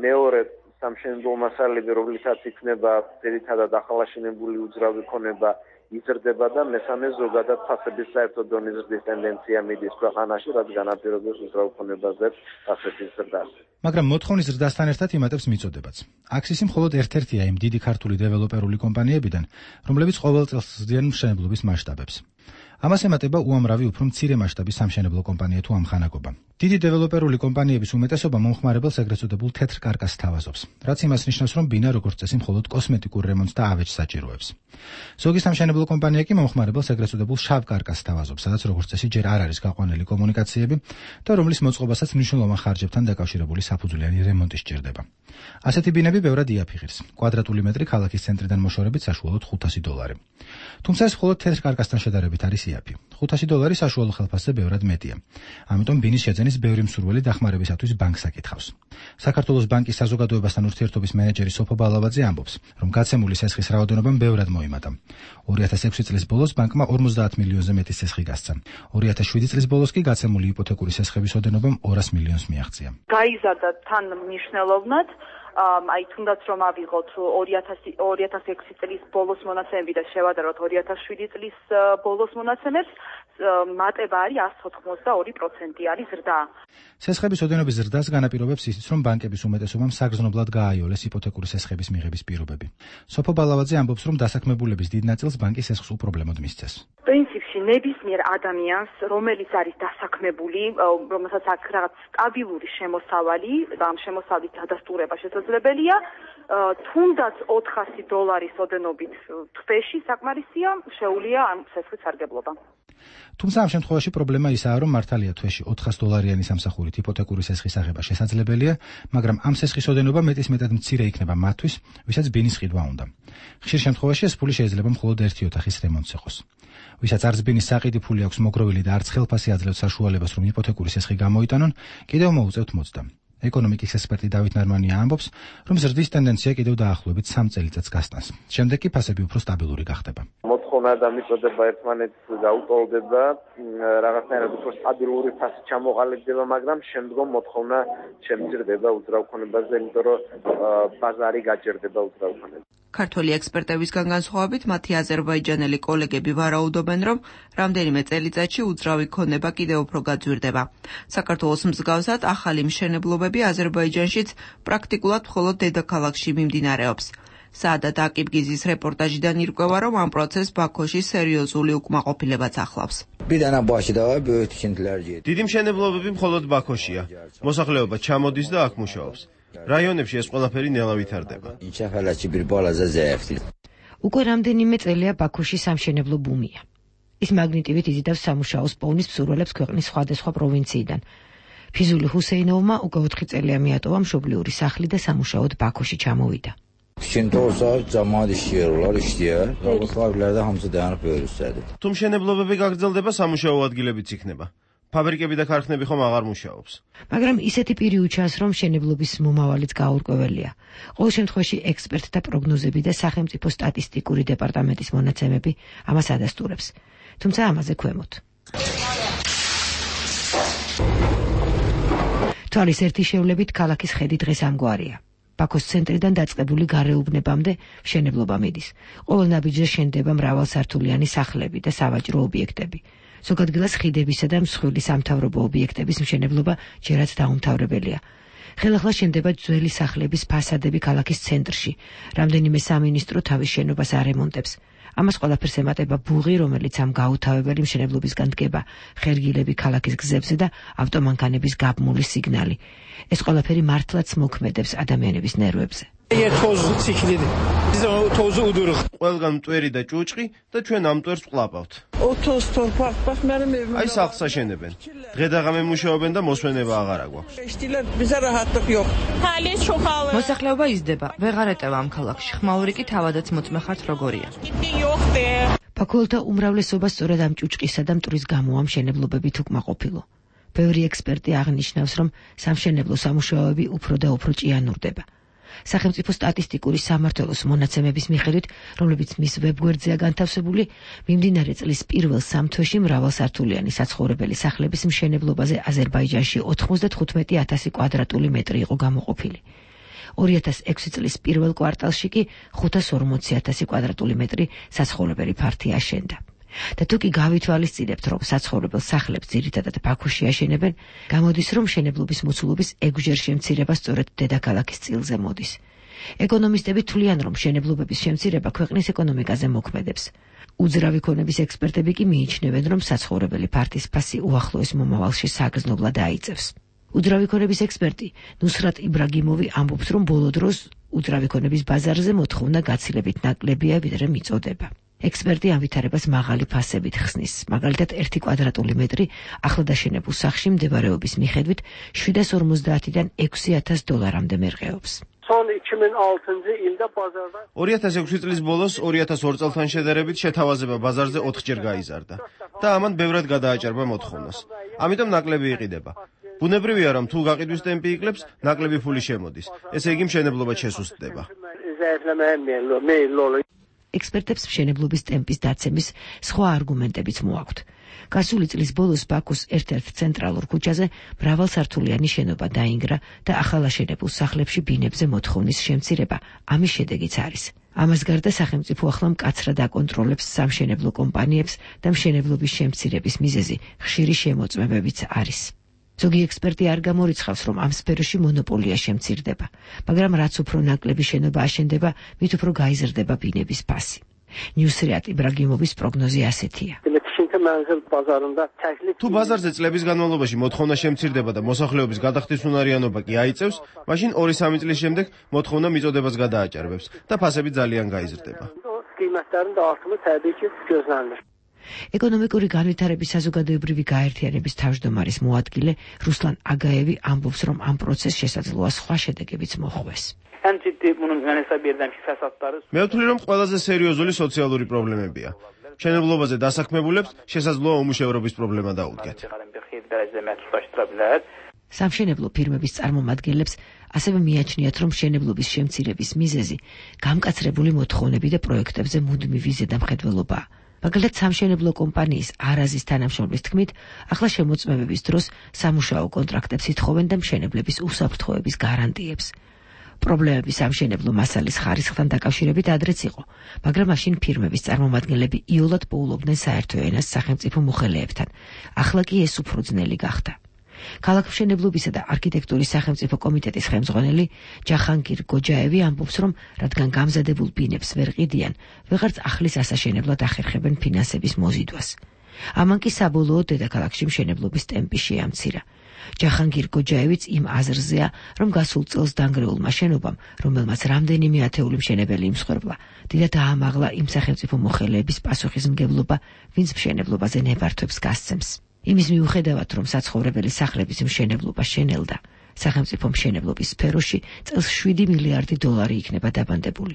მეორე სამშენებლო მასალები, რომლითაც იქნება ძირითადად ახალაშენებული უძრავი ქონება იზრდება და მესამე ზოგადად ფასების საერთო დონის ზრდის ტენდენცია მიდის ქვეყანაში, რაც განაპირობებს უძრავ ქონებაზე ფასების ზრდას. მაგრამ მოთხოვნის ზრდასთან ერთად იმატებს მიწოდებაც. აქსისი მხოლოდ ერთ-ერთია იმ დიდი ქართული დეველოპერული კომპანიებიდან, რომლებიც ყოველ წელს ზრდიან მშენებლობის მასშტაბებს. ამას ემატება უამრავი უფრო მცირე მასშტაბის სამშენებლო კომპანია თუ ამხანაგობა. დიდი დეველოპერული კომპანიების უმეტესობა მომხმარებელს ეგრეთ წოდებულ თეთრ კარკასს თავაზობს, რაც იმას ნიშნავს, რომ ბინა როგორც წესი მხოლოდ კოსმეტიკურ რემონტს და ავეჯს საჭიროებს. ზოგი სამშენებლო კომპანია კი მომხმარებელს ეგრეთ წოდებულ შავ კარკასს თავაზობს, სადაც როგორც წესი ჯერ არ არის გაყვანილი კომუნიკაციები და რომლის მოწყობასაც მნიშვნელოვან ხარჯებთან დაკავშირებული საფუძვლიანი რემონტი სჭირდება. ასეთი ბინები ბევრად იაფი ღირს. კვადრატული მეტრი ქალაქის ცენტრიდან მოშორებით საშუალოდ ხუთასი დოლარი. თუმცა ეს მხოლოდ თეთრ კარკასთან შედარებით არის იაფი. ხუთასი დოლარი საშუალო ხელფასზე ბევრად მეტია. ამიტომ ბინის შეძენის ბევრი მსურველი დახმარებისათვის ბანკს აკითხავს. საქართველოს ბანკის საზოგადოებასთან ურთიერთობის მენეჯერი სოფო ბალავაძე ამბობს, რომ გაცემული სესხის რაოდენობამ ბევრად მოიმატა. ორი ათას ექვსი წლის ბოლოს ბანკმა ორმოცდაათ მილიონზე მეტი სესხი გასცა. ორი ათას შვიდი წლის ბოლოს კი გაცემული იპოთეკური სესხების ოდენობამ ორას მილიონს მიაღწია. გაიზარდა თან მნიშვნელოვნად აი თუნდაც რომ ავიღოთ ორი ათას ექვსი წლის ბოლოს მონაცემები და შევადაროთ ორი ათას შვიდი წლის ბოლოს მონაცემებს, მატება არის εκατს ოთხმოცდაორი პროცენტი არის ზრდა. სესხების ოდენობის ზრდას განაპირობებს ისიც, რომ ბანკების უმეტესობამ საგრძნობლად გააიოლეს იპოთეკური სესხების მიღების პირობები. სოფო ბალავაძე ამბობს, რომ დასაქმებულების დიდ ნაწილს ბანკი სესხს უპრობლემოდ მისცეს. პრინციპში ნებისმიერ ადამიანს, რომელიც არის დასაქმებული, რომელსაც აქვს რაღაც სტაბილური შემოსავალი და ამ შემოსავლის დადასტურება შესაძლებელია, თუნდაც ოთხასი დოლარის ოდენობით თვეში საკმარისია, შეუძლია ამ სესხის სარგებლობა. თუმცა ამ შემთხვევაში პრობლემა ისაა, რომ მართალია თვეში ოთხას დოლარიანი სამსახურით იპოთეკური სესხის აღება შესაძლებელია, მაგრამ ამ სესხის ოდენობა მეტისმეტად მცირე იქნება მათთვის, ვისაც ბინის ყიდვა უნდა. ხშირ შემთხვევაში ეს ფული შეიძლება მხოლოდ ერთი ოთახის რემონტს იყოს. ვისაც არც ბინის საყიდი ფული აქვს მოგროვილი და არც ხელფასი აძლევს საშუალებას, რომ იპოთეკური სესხი გამოიტანონ, კიდევ მოუწევთ მოცდა. ეკონომიკის ექსპერტი დავით ნარმანია ამბობს, რომ ზრდის ტენდენცია კიდევ დაახლოებით სამ წელიწადს გასტანს. შემდეგ კი ფასები უფრო სტაბილური გახდება. მოთხოვნა და მიწოდება ერთმანეთს გაუტოლდება, რაღაცნაირად უფრო სტაბილური ფასი ჩამოყალიბდება, მაგრამ შემდგომ მოთხოვნა შემცირდება უძრავ ქონებაზე, იმიტომ რომ ბაზარი გაჭირდება უძრავ ქონებას. ქართველი ექსპერტებისგან განსხვავებით, მათი აზერბაიჯანელი კოლეგები ვარაუდობენ, რომ რამდენიმე წელიწადში უძრავი ქონება კიდევ უფრო გაძვირდება. საქართველოს მსგავსად, ახალი მშენებლობები აზერბაიჯანშიც პრაქტიკულად მხოლოდ დედაქალაქში მიმდინარეობს. საადათ აკიბგიზის რეპორტაჟიდან ირკვევა, რომ ამ პროცესს ბაქოში სერიოზული უკმაყოფილებაც ახლავს. დიდი მშენებლობები მხოლოდ ბაქოშია. მოსახლეობა ჩამოდის და აქ მუშაობს. რაიონებში ეს ყველაფერი ნელა ვითარდება. უკვე რამდენიმე წელია ბაქოში სამშენებლო ბუმია. ის მაგნიტივით იზიდავს სამუშაოს პოვნის მსურველებს ქვეყნის სხვადასხვა პროვინციიდან. ფიზული ჰუსეინოვმა უკვე ოთხი წელია მიატოვა მშობლიური სახლი და სამუშაოდ ბაქოში ჩამოვიდა. თუ მშენებლობები გაგრძელდება, სამუშაო ადგილებიც იქნება. ფაბრიკები და ქარხნები ხომ აღარ მუშაობს. მაგრამ ისეთი პირი უჩანს, რომ მშენებლობის მომავალიც გაურკვეველია. ყოველ შემთხვევაში ექსპერტთა პროგნოზები და სახელმწიფო სტატისტიკური დეპარტამენტის მონაცემები ამას ადასტურებს. თუმცა ამაზე ქვემოთ. თვალის ერთი შევლებით ქალაქის ხედი დღეს ამგვარია. ბაქოს ცენტრიდან დაწყებული გარეუბნებამდე მშენებლობა მიდის. ყოველ ნაბიჯზე შენდება მრავალსართულიანი სახლები და სავაჭრო ობიექტები. ზოგ ადგილას ხიდებისა და მსხვილი სამთავრობო ობიექტების მშენებლობა ჯერაც დაუმთავრებელია. ხელახლა შენდება ძველი სახლების ფასადები ქალაქის ცენტრში. რამდენიმე სამინისტრო თავის შენობას არემონტებს. ამას ყველაფერს ემატება ბუღი, რომელიც ამ გაუთავებელი მშენებლობისგან დგება, ხერგილები ქალაქის გზებზე და ავტომანქანების გაბმული სიგნალი. ეს ყველაფერი მართლაც მოქმედებს ადამიანების ნერვებზე. ყველგან მტვერი და ჭუჭყი და ჩვენ ამ მტვერს ვყლაპავთ. აი სახლს აშენებენ. დღე და ღამე მუშაობენ და მოსვენება აღარ აგვაქვს. მოსახლეობა იზრდება, ვეღარ ეტევა ამ ქალაქში. ხმაური კი თავადაც მოწმე ხართ როგორია. ფაქულთა უმრავლესობა სწორედ ამ ჭუჭყისა და მტვრის გამო ამ მშენებლობებით უკმაყოფილო. ბევრი ექსპერტი აღნიშნავს, რომ სამშენებლო სამუშაოები უფრო და უფრო ჭიანურდება. სახელმწიფო სტატისტიკური სამმართველოს მონაცემების მიხედვით, რომლებიც მის ვებგვერდზეა განთავსებული, მიმდინარე წლის პირველ სამ თვეში მრავალსართულიანი საცხოვრებელი სახლების მშენებლობაზე აზერბაიჯანში ოთხმოცდათხუთმეტი ათასი კვადრატული მეტრი იყო გამოყოფილი. ორი ათას ექვსი წლის პირველ კვარტალში კი ხუთას ორმოცი ათასი კვადრატული მეტრი საცხოვრებელი ფართი აშენდა. და თუ კი გავითვალისწინებთ, რომ საცხოვრებელ სახლებს ძირითადად ბაქოში აშენებენ, გამოდის, რომ მშენებლობის მოცულობის ექვსჯერ შემცირება სწორედ დედაქალაქის წილზე მოდის. ეკონომისტები თვლიან, რომ მშენებლობების შემცირება ქვეყნის ეკონომიკაზე მოქმედებს. უძრავი ქონების ექსპერტები კი მიიჩნევენ, რომ საცხოვრებელი ფართის ფასი უახლოეს მომავალში საგრძნობლად დაიწევს. უძრავი ქონების ექსპერტი ნუსრატ იბრაგიმოვი ამბობს, რომ ბოლო დროს უძრავი ქონების ბაზარზე მოთხოვნა გაცილებით ნაკლებია, ვიდრე მიწოდება. ექსპერტი ამ ვითარებას მაღალი ფასებით ხსნის. მაგალითად, ერთი კვადრატული მეტრი ახლა დაშენებულ სახლში მდებარეობის მიხედვით შვიდას ორმოცდაათიდან ექვსი ათას დოლარამდე მერყეობს. ორი ათას ექვსი წლის ბოლოს ორი ათას ორ წელთან შედარებით შეთავაზება ბაზარზე ოთხჯერ გაიზარდა და ამან ბევრად გადააჭარბა მოთხოვნას. ამიტომ ნაკლები იყიდება. ბუნებრივია, რომ თუ გაყიდვის ტემპი იკლებს, ნაკლები ფული შემოდის. ესე იგი მშენებლობა შესუსტდება. ექსპერტებს მშენებლობის ტემპის დაცემის სხვა არგუმენტებიც მოაქვთ. გასული წლის ბოლოს ბაქოს ერთ-ერთ ცენტრალურ ქუჩაზე მრავალსართულიანი შენობა დაინგრა და ახალაშენებულ სახლებში ბინებზე მოთხოვნის შემცირება ამის შედეგიც არის. ამას გარდა სახელმწიფო ახლა მკაცრად აკონტროლებს სამშენებლო კომპანიებს და მშენებლობის შემცირების მიზეზი ხშირი შემოწმებებიც არის. ზოგი ექსპერტი არ გამორიცხავს, რომ ამ სფეროში მონოპოლია შემცირდება, მაგრამ რაც უფრო ნაკლები შენობა აშენდება, მით უფრო გაიზრდება ბინების ფასი. ნიუსრიატ იბრაგიმოვის პროგნოზი ასეთია. თუ ბაზარზე წლების განმავლობაში მოთხოვნა შემცირდება და მოსახლეობის გადახდის უნარიანობა კი აიწევს, მაშინ ორი სამი წლის შემდეგ მოთხოვნა მიწოდებას გადააჭარბებს და ფასები ძალიან გაიზრდება. ეკონომიკური განვითარების საზოგადოებრივი გაერთიანების თავმჯდომარის მოადგილე რუსლან აგაევი ამბობს, რომ ამ პროცესს შესაძლოა სხვა შედეგებიც მოჰყვეს. მე ვთვლი, რომ ყველაზე სერიოზული სოციალური პრობლემებია. მშენებლობაზე დასაქმებულებს შესაძლოა უმუშევრობის პრობლემა დაუდგათ. სამშენებლო ფირმების წარმომადგენლებს ასევე მიაჩნიათ, რომ მშენებლობის შემცირების მიზეზი გამკაცრებული მოთხოვნები და პროექტებზე მუდმივი ზედამხედველობაა. მაგალითად, სამშენებლო კომპანიის არაზის თანამშრომლის თქმით, ახლა შემოწმებების დროს სამუშაო კონტრაქტებს ითხოვენ და მშენებლების უსაფრთხოების გარანტიებს. პრობლემები სამშენებლო მასალის ხარისხთან დაკავშირებით ადრეც იყო, მაგრამ მაშინ ფირმების წარმომადგენლები იოლად პოულობდნენ საერთო ენას სახელმწიფო მოხელეებთან. ახლა კი ეს უფრო ძნელი გახდა. ქალაქმშენებლობისა და არქიტექტურის სახელმწიფო კომიტეტის ხელმძღვანელი ჯახანგირ გოჯაევი ამბობს, რომ რადგან გამზადებულ ბინებს ვერ ყიდიან, ვეღარც ახლის ასაშენებლად ახერხებენ ფინანსების მოზიდვას. ამან კი საბოლოოდ დედაქალაქში მშენებლობის ტემპი შეამცირა. ჯახანგირ გოჯაევიც იმ აზრზეა, რომ გასულ წელს დანგრეულმა შენობამ, რომელმაც რამდენიმე ათეული მშენებელი იმსხვერპლა, დიდად აამაღლა იმ სახელმწიფო მოხელეების პასუხისმგებლობა, ვინც მშენებლობაზე ნებართვებს გასცემს. იმის მიუხედავად, რომ საცხოვრებელი სახლების მშენებლობა შენელდა, სახელმწიფო მშენებლობის სფეროში წელს შვიდი მილიარდი დოლარი იქნება დაბანდებული.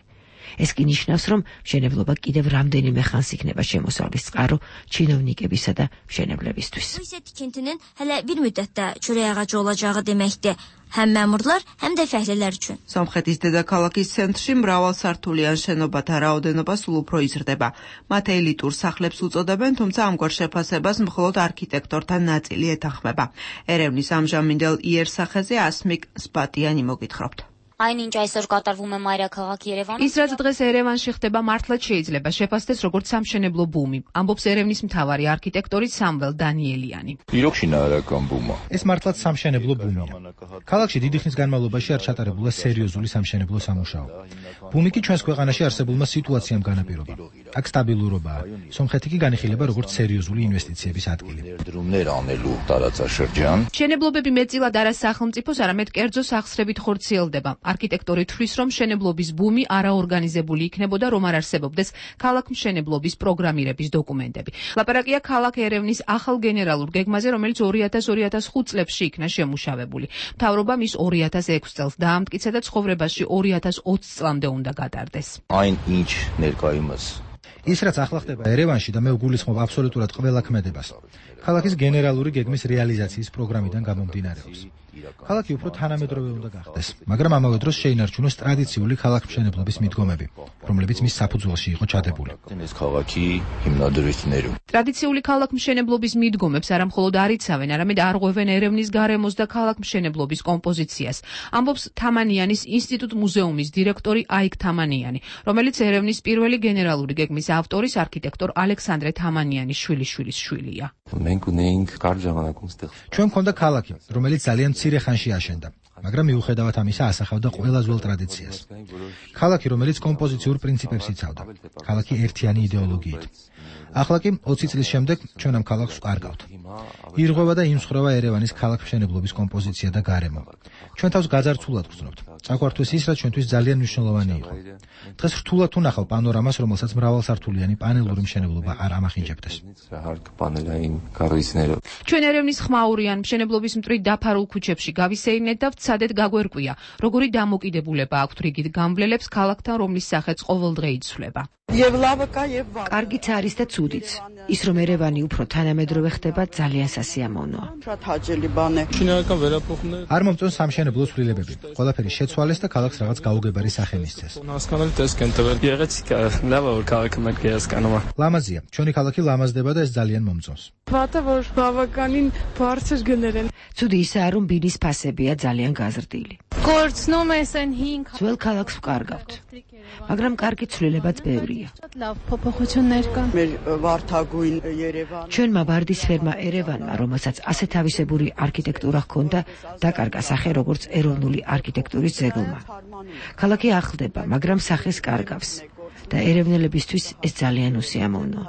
ეს კი ნიშნავს, რომ მშენებლობა კიდევ რამდენიმე ხანს იქნება შემოსავლის წყარო ჩინოვნიკებისა და მშენებლებისთვის. Bu isə tikintinin hələ bir müddətdə çörək ağacı olacağı deməkdir. Həm məmurlar, həm də fəhlələr üçün. Სომხეთის დედაქალაქის ცენტრში მრავალსართულიან შენობათა რაოდენობა სულ უფრო იზრდება. მათ ელიტურ სახლებს უწოდებენ, თუმცა ამგვარ შეფასებას მხოლოდ არქიტექტორთა ნაწილი ეთანხმება. ერევნის ამჟამინდელ იერსახეზე ასმիկ სპატიანი მოგითხრობთ. Այնինչ այսօր կատարվում է մայրաքաղաք Երևանում. Ის რაც დღეს ერევანში ხდება, მართლაც შეიძლება შეფასდეს როგორც სამშენებლო ბუმი, ამბობს ერევნის მთავარი არქიტექტორი სამվել დანიელიანი. ეს მართლაც სამშენებლო ბუმია. ქალაქში დიდი ხნის განმავლობაში არ ჩატარებულა სერიოზული სამშენებლო სამუშაო. ბუმი კი ჩვენს ქვეყანაში არსებულმა სიტუაციამ განაპირობა. აქ სტაბილურობაა. სომხეთი კი განიხილება როგორც სერიოზული ინვესტიციების ადგილი. მშენებლობები მეტწილად არა სახელმწიფოს, არამედ კერძო სახსრებით ხორციელდება. არქიტექტორი თვლის, რომ მშენებლობის ბუმი არაორგანიზებული იქნებოდა, რომ არ არსებობდეს ქალაქ მშენებლობის პროგრამირების დოკუმენტები. ლაპარაკია ქალაქ ერევნის ახალ გენერალურ გეგმაზე, რომელიც ორი ათას ორი ათას ხუთ წლებში იქნა შემუშავებული. მთავრობამ ის ორი ათას ექვს წელს დაამტკიცა და ცხოვრებაში ორი ათას ოცი წლამდე უნდა გატარდეს. Այն ինչ ներկայումս ის რაც ახლა ხდება ერევანში და მე ვგულისხმობ აბსოლუტურად ყველა ქმედებას. ქალაქის გენერალური გეგმის რეალიზაციის პროგრამიდან გამომდინარეობს. ქალაქი უფრო თანამედროვე უნდა გახდეს, მაგრამ ამავე დროს შეინარჩუნოს ტრადიციული ქალაქმშენებლობის მიდგომები, რომლებიც მის საფუძველში იყო ჩადებული. ტრადიციული ქალაქმშენებლობის მიდგომებს არა მხოლოდ არ იცავენ, არამედ არღვევენ ერევნის გარემოს და ქალაქმშენებლობის კომპოზიციას, ამბობს თამანიანის ინსტიტუტ მუზეუმის დირექტორი აიქ თამანიანი, რომელიც ერევნის პირველი გენერალური გეგმის ავტორის არქიტექტორ ალექსანდრე თამანიანის შვილიშვილის შვილია. ჩვენ მქონდა ქალაქი, რომელიც ძალიან მცირე ხანში აშენდა, მაგრამ მიუხედავად ამისა ასახავდა ყველა ძველ ტრადიციას. ქალაქი, რომელიც კომპოზიციურ პრინციპებს იცავდა, ქალაქი ერთიანი იდეოლოგიით. ახლა კი ოცი წლის შემდეგ ჩვენ ამ ქალაქს ვკარგავთ. ირღვევა და იმსხვრევა ერევანის ქალაქმშენებლობის კომპოზიცია და გარემო. ჩვენ თავს გაძარცულად ვგრძნობთ. წაგვართვეს ის, რაც ჩვენთვის ძალიან მნიშვნელოვანი იყო. დღეს რთულად ვნახავ პანორამას, რომელსაც მრავალსართულიანი პანელური მშენებლობა არ ამახინჯებდეს. ჩვენ ერევნის ხმაურიან მშენებლობის მტრით დაფარულ ქუჩებში გავისეირნეთ და ვცადეთ გაგვერკვია, როგორი დამოკიდებულება აქვთ რიგით გამვლელებს ქალაქთან, რომლის სახეც ყოველდღე იცვლება. კარგიც არის და ცუდიც. ის რომ ერევანი უფრო თანამედროვე ხდება, ძალიან სასიამოვნოა. არ მომწონს სამშენებლო ცვლილებები. ყველაფერი შეცვალეს და ქალაქს რაღაც გაუგებარი სახე მისცეს. ლამაზია, ჩვენი ქალაქი ლამაზდება და ეს ძალიან მომწონს. ცუდი ისაა, რომ ბინის ფასებია ძალიან გაზრდილი. ძველ ქალაქს ვკარგავთ, მაგრამ კარგი ცვლილებაც ბევრია. ჩვენმა ვარდისფერმა ერევანმა, რომელსაც ასეთ ავისებური არქიტექტურა ჰქონდა, დაკარგა სახე როგორც ეროვნული არქიტექტურის ძეგლმა. ქალაქი ახლდება, მაგრამ სახეს კარგავს. და ერევნელებისთვის ეს ძალიან უსიამოვნოა.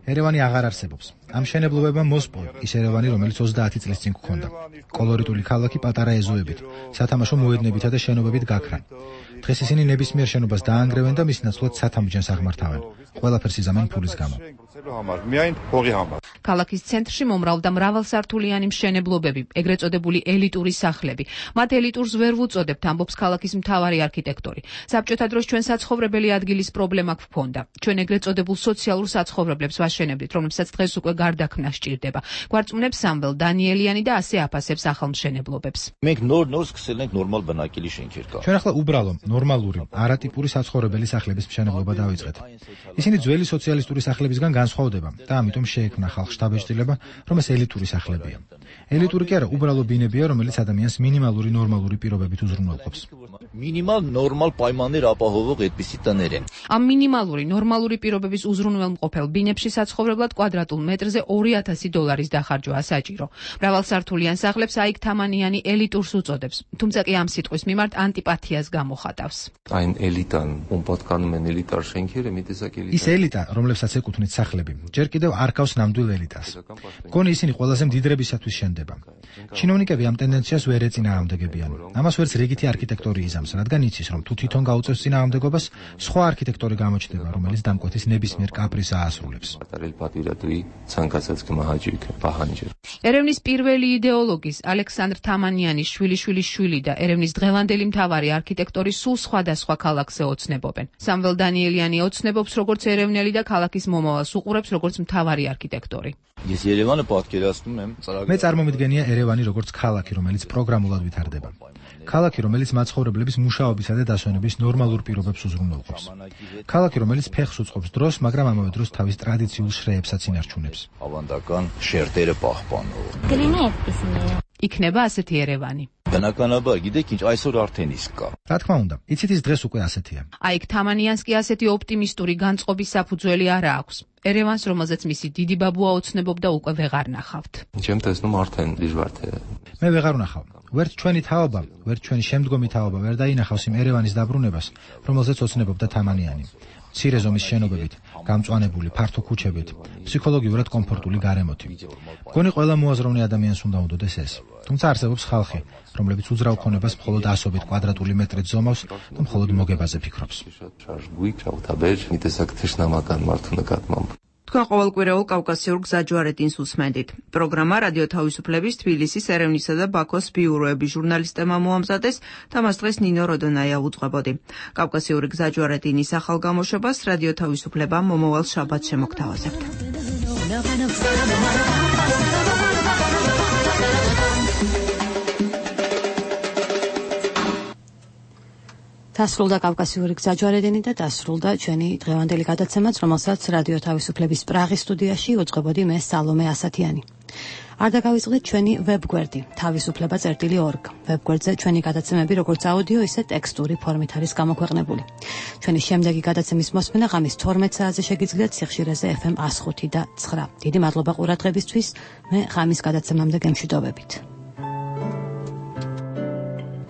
ერევანი აღარ არსებობს. ამ მშენებლობებმა მოსპოვა ის ერევანი, რომელიც ოცდაათი წლის წინ გქონდა. კოლორიტული ქალაქი პატარა ეზოებით, სათამაშო მოედნებითა და შენობებით გაქრა. დღეს ისინი ნებისმიერ შენობას დაანგრევენ და მის ნაცვლად სათამბჯენს აღმართავენ. ყველაფერს იზამენ ფულის გამო. ქალაქის ცენტრში მომრავლდა მრავალსართულიანი მშენებლობები, ეგრეთ წოდებული ელიტური სახლები. მათ ელიტურს ვერ ვუწოდებთ, ამბობს ქალაქის მთავარი არქიტექტორი. საბჭოთა დროს ჩვენ საცხოვრებელი ადგილის პრობლემა გვქონდა. ჩვენ ეგრეთ წოდებულ სოციალურ საცხოვრებლებს ვაშენებდით, რომლებსაც დღეს უკვე გარდაქმნა სჭირდება. გვარწმუნებს სამվել დანიელიანი და ასე აფასებს ახალ მშენებლობებს. ჩვენ ახლა უბრალო, ნორმალური, არატიპური საცხოვრებელი სახლების მშენებლობა დავიწყეთ. ისინი ძველი სოციალისტური სახლებისგან განსხვავდება და ამიტომ შეექმნა ხალხს შთაბეჭდილება, რომ ეს ელიტური სახლებია. ელიტური კი არა, უბრალო ბინებია, რომელიც ადამიანს მინიმალური ნორმალური პირობებით უზრუნველყოფს. მინიმალ ნორმალ პაიმანერ აპაჰოვող ეთპისი ტანერენ. ამ მინიმალური ნორმალური პირობების უზრუნველმყოფელ ბინებში საცხოვრებლად კვადრატულ მეტრზე ორი ათასი დოლარის დახარჯვაა საჭირო. მრავალსართულიან სახლებს აიქ თამანიანი ელიტურს უწოდებს, თუმცა კი ამ სიტყვის მიმართ ანტიპათიას გამოხატავს. Ein Elitan unpatkanmen elitar schenkere mit dieser Elita. ის ელიტა, რომლებსაც ეკუთვნით სახლები, ჯერ კიდევ არ გავს ნამდვილ ელიტას. გონი ისინი ყველაზე მდიდრებისათვის შენდება. ჩინოვნიკები ამ ტენდენციას ვერ ეწინააღმდეგებიან. ამას ვერც რიგითი არქიტექტორი იზამს, რადგან იცის, რომ თუ თვითონ გაუწევს წინააღმდეგობას, სხვა არქიტექტორი გამოჩნდება, რომელიც დამკვეთის ნებისმიერ კაპრიზს აასრულებს. ერევნის პირველი იდეოლოგის ალექსანდრ თამანიანის შვილიშვილის შვილი და ერევნის დღევანდელი მთავარი არქიტექტორი სულ სხვადასხვა ქალაქზე ოცნებობენ. სამվել დანიელიანი ოცნებობს როგორც ერევნელი და ქალაქის მომავალს უყურებს როგორც მთავარი არქიტექტორი. ეს ერევანი պատկերացնում եմ მე წარმომიდგენია ერევანი როგორც ქალაქი, რომელიც პროგრამულად ვითარდება. ქალაქი, რომელიც მაცხოვრებლების მუშაობისა და დასვენების ნორმალურ პირობებს უზრუნველყოფს. ქალაქი, რომელიც ფეხს უწყობს დროს, მაგრამ ამავე დროს თავის ტრადიციულ შრეებსაც ინარჩუნებს. ավանդական շերտերը պահպանող. იქნება ასეთი ერევანი. Բնականաբար, գիտեք ինչ, այսօր արդեն իսկ կա. რა თქმა უნდა, იცით ის დღეს უკვე ასეთია. აიქ თამანიანს კი ასეთი ოპტიმისტური განწყობის საფუძველი არა აქვს. ერევანს, რომელზეც მისი დიდი ბაბუა ოცნებობდა, უკვე ვეღარ ნახავთ. Ჩემ տեսնում արդեն դժվար թե. მე ვეღარ ვნახავ. ვერც ჩვენი თაობა, ვერც ჩვენი შემდგომი თაობა ვერ დაინახავს იმ ერევანის დაბრუნებას, რომელზეც ოცნებობდა თამანიანი. მცირე ზომის შენობებით, გამწვანებული, ფართო ქუჩებით, ფსიქოლოგიურად კომფორტული გარემოთი. მგონი ყველა მოაზროვნე ადამიანს უნდა უნდოდეს ეს. თუმცა არსებობს ხალხი, რომლებიც უძრავ ქონებას მხოლოდ ასობით კვადრატული მეტრით ზომავს და მხოლოდ მოგებაზე ფიქრობს. თქვენ ყოველკვირეულ კავკასიურ გზაჯვარედინს უსმენდით. პროგრამა რადიო თავისუფლების თბილისის, ერევნისა და ბაქოს ბიუროების ჟურნალისტებმა მოამზადეს და მას დღეს ნინო როდონაია უძღვებოდი. კავკასიური გზაჯვარედინის ახალ გამოშვებას რადიო თავისუფლება მომავალ შაბათს შემოგთავაზებთ. დასრულდა კავკასიური გზაჯვარედინი და დასრულდა ჩვენი დღევანდელი გადაცემაც, რომელსაც რადიო თავისუფლების პრაღის სტუდიაში უძღვებოდი მე სალომე ასათიანი. არ დაგავიწყდეთ ჩვენი ვებგვერდი თავისუფლება წერტილი ორგ. ვებგვერდზე ჩვენი გადაცემები როგორც აუდიო, ისე ტექსტური ფორმით არის გამოქვეყნებული. ჩვენი შემდეგი გადაცემის მოსმენა ღამის თორმეტ საათზე შეგიძლიათ სიხშირეზე ეფ ემ one oh five და nine. დიდი მადლობა ყურადღებისთვის. მე ღამის გადაცემამდე გემშვიდობებით.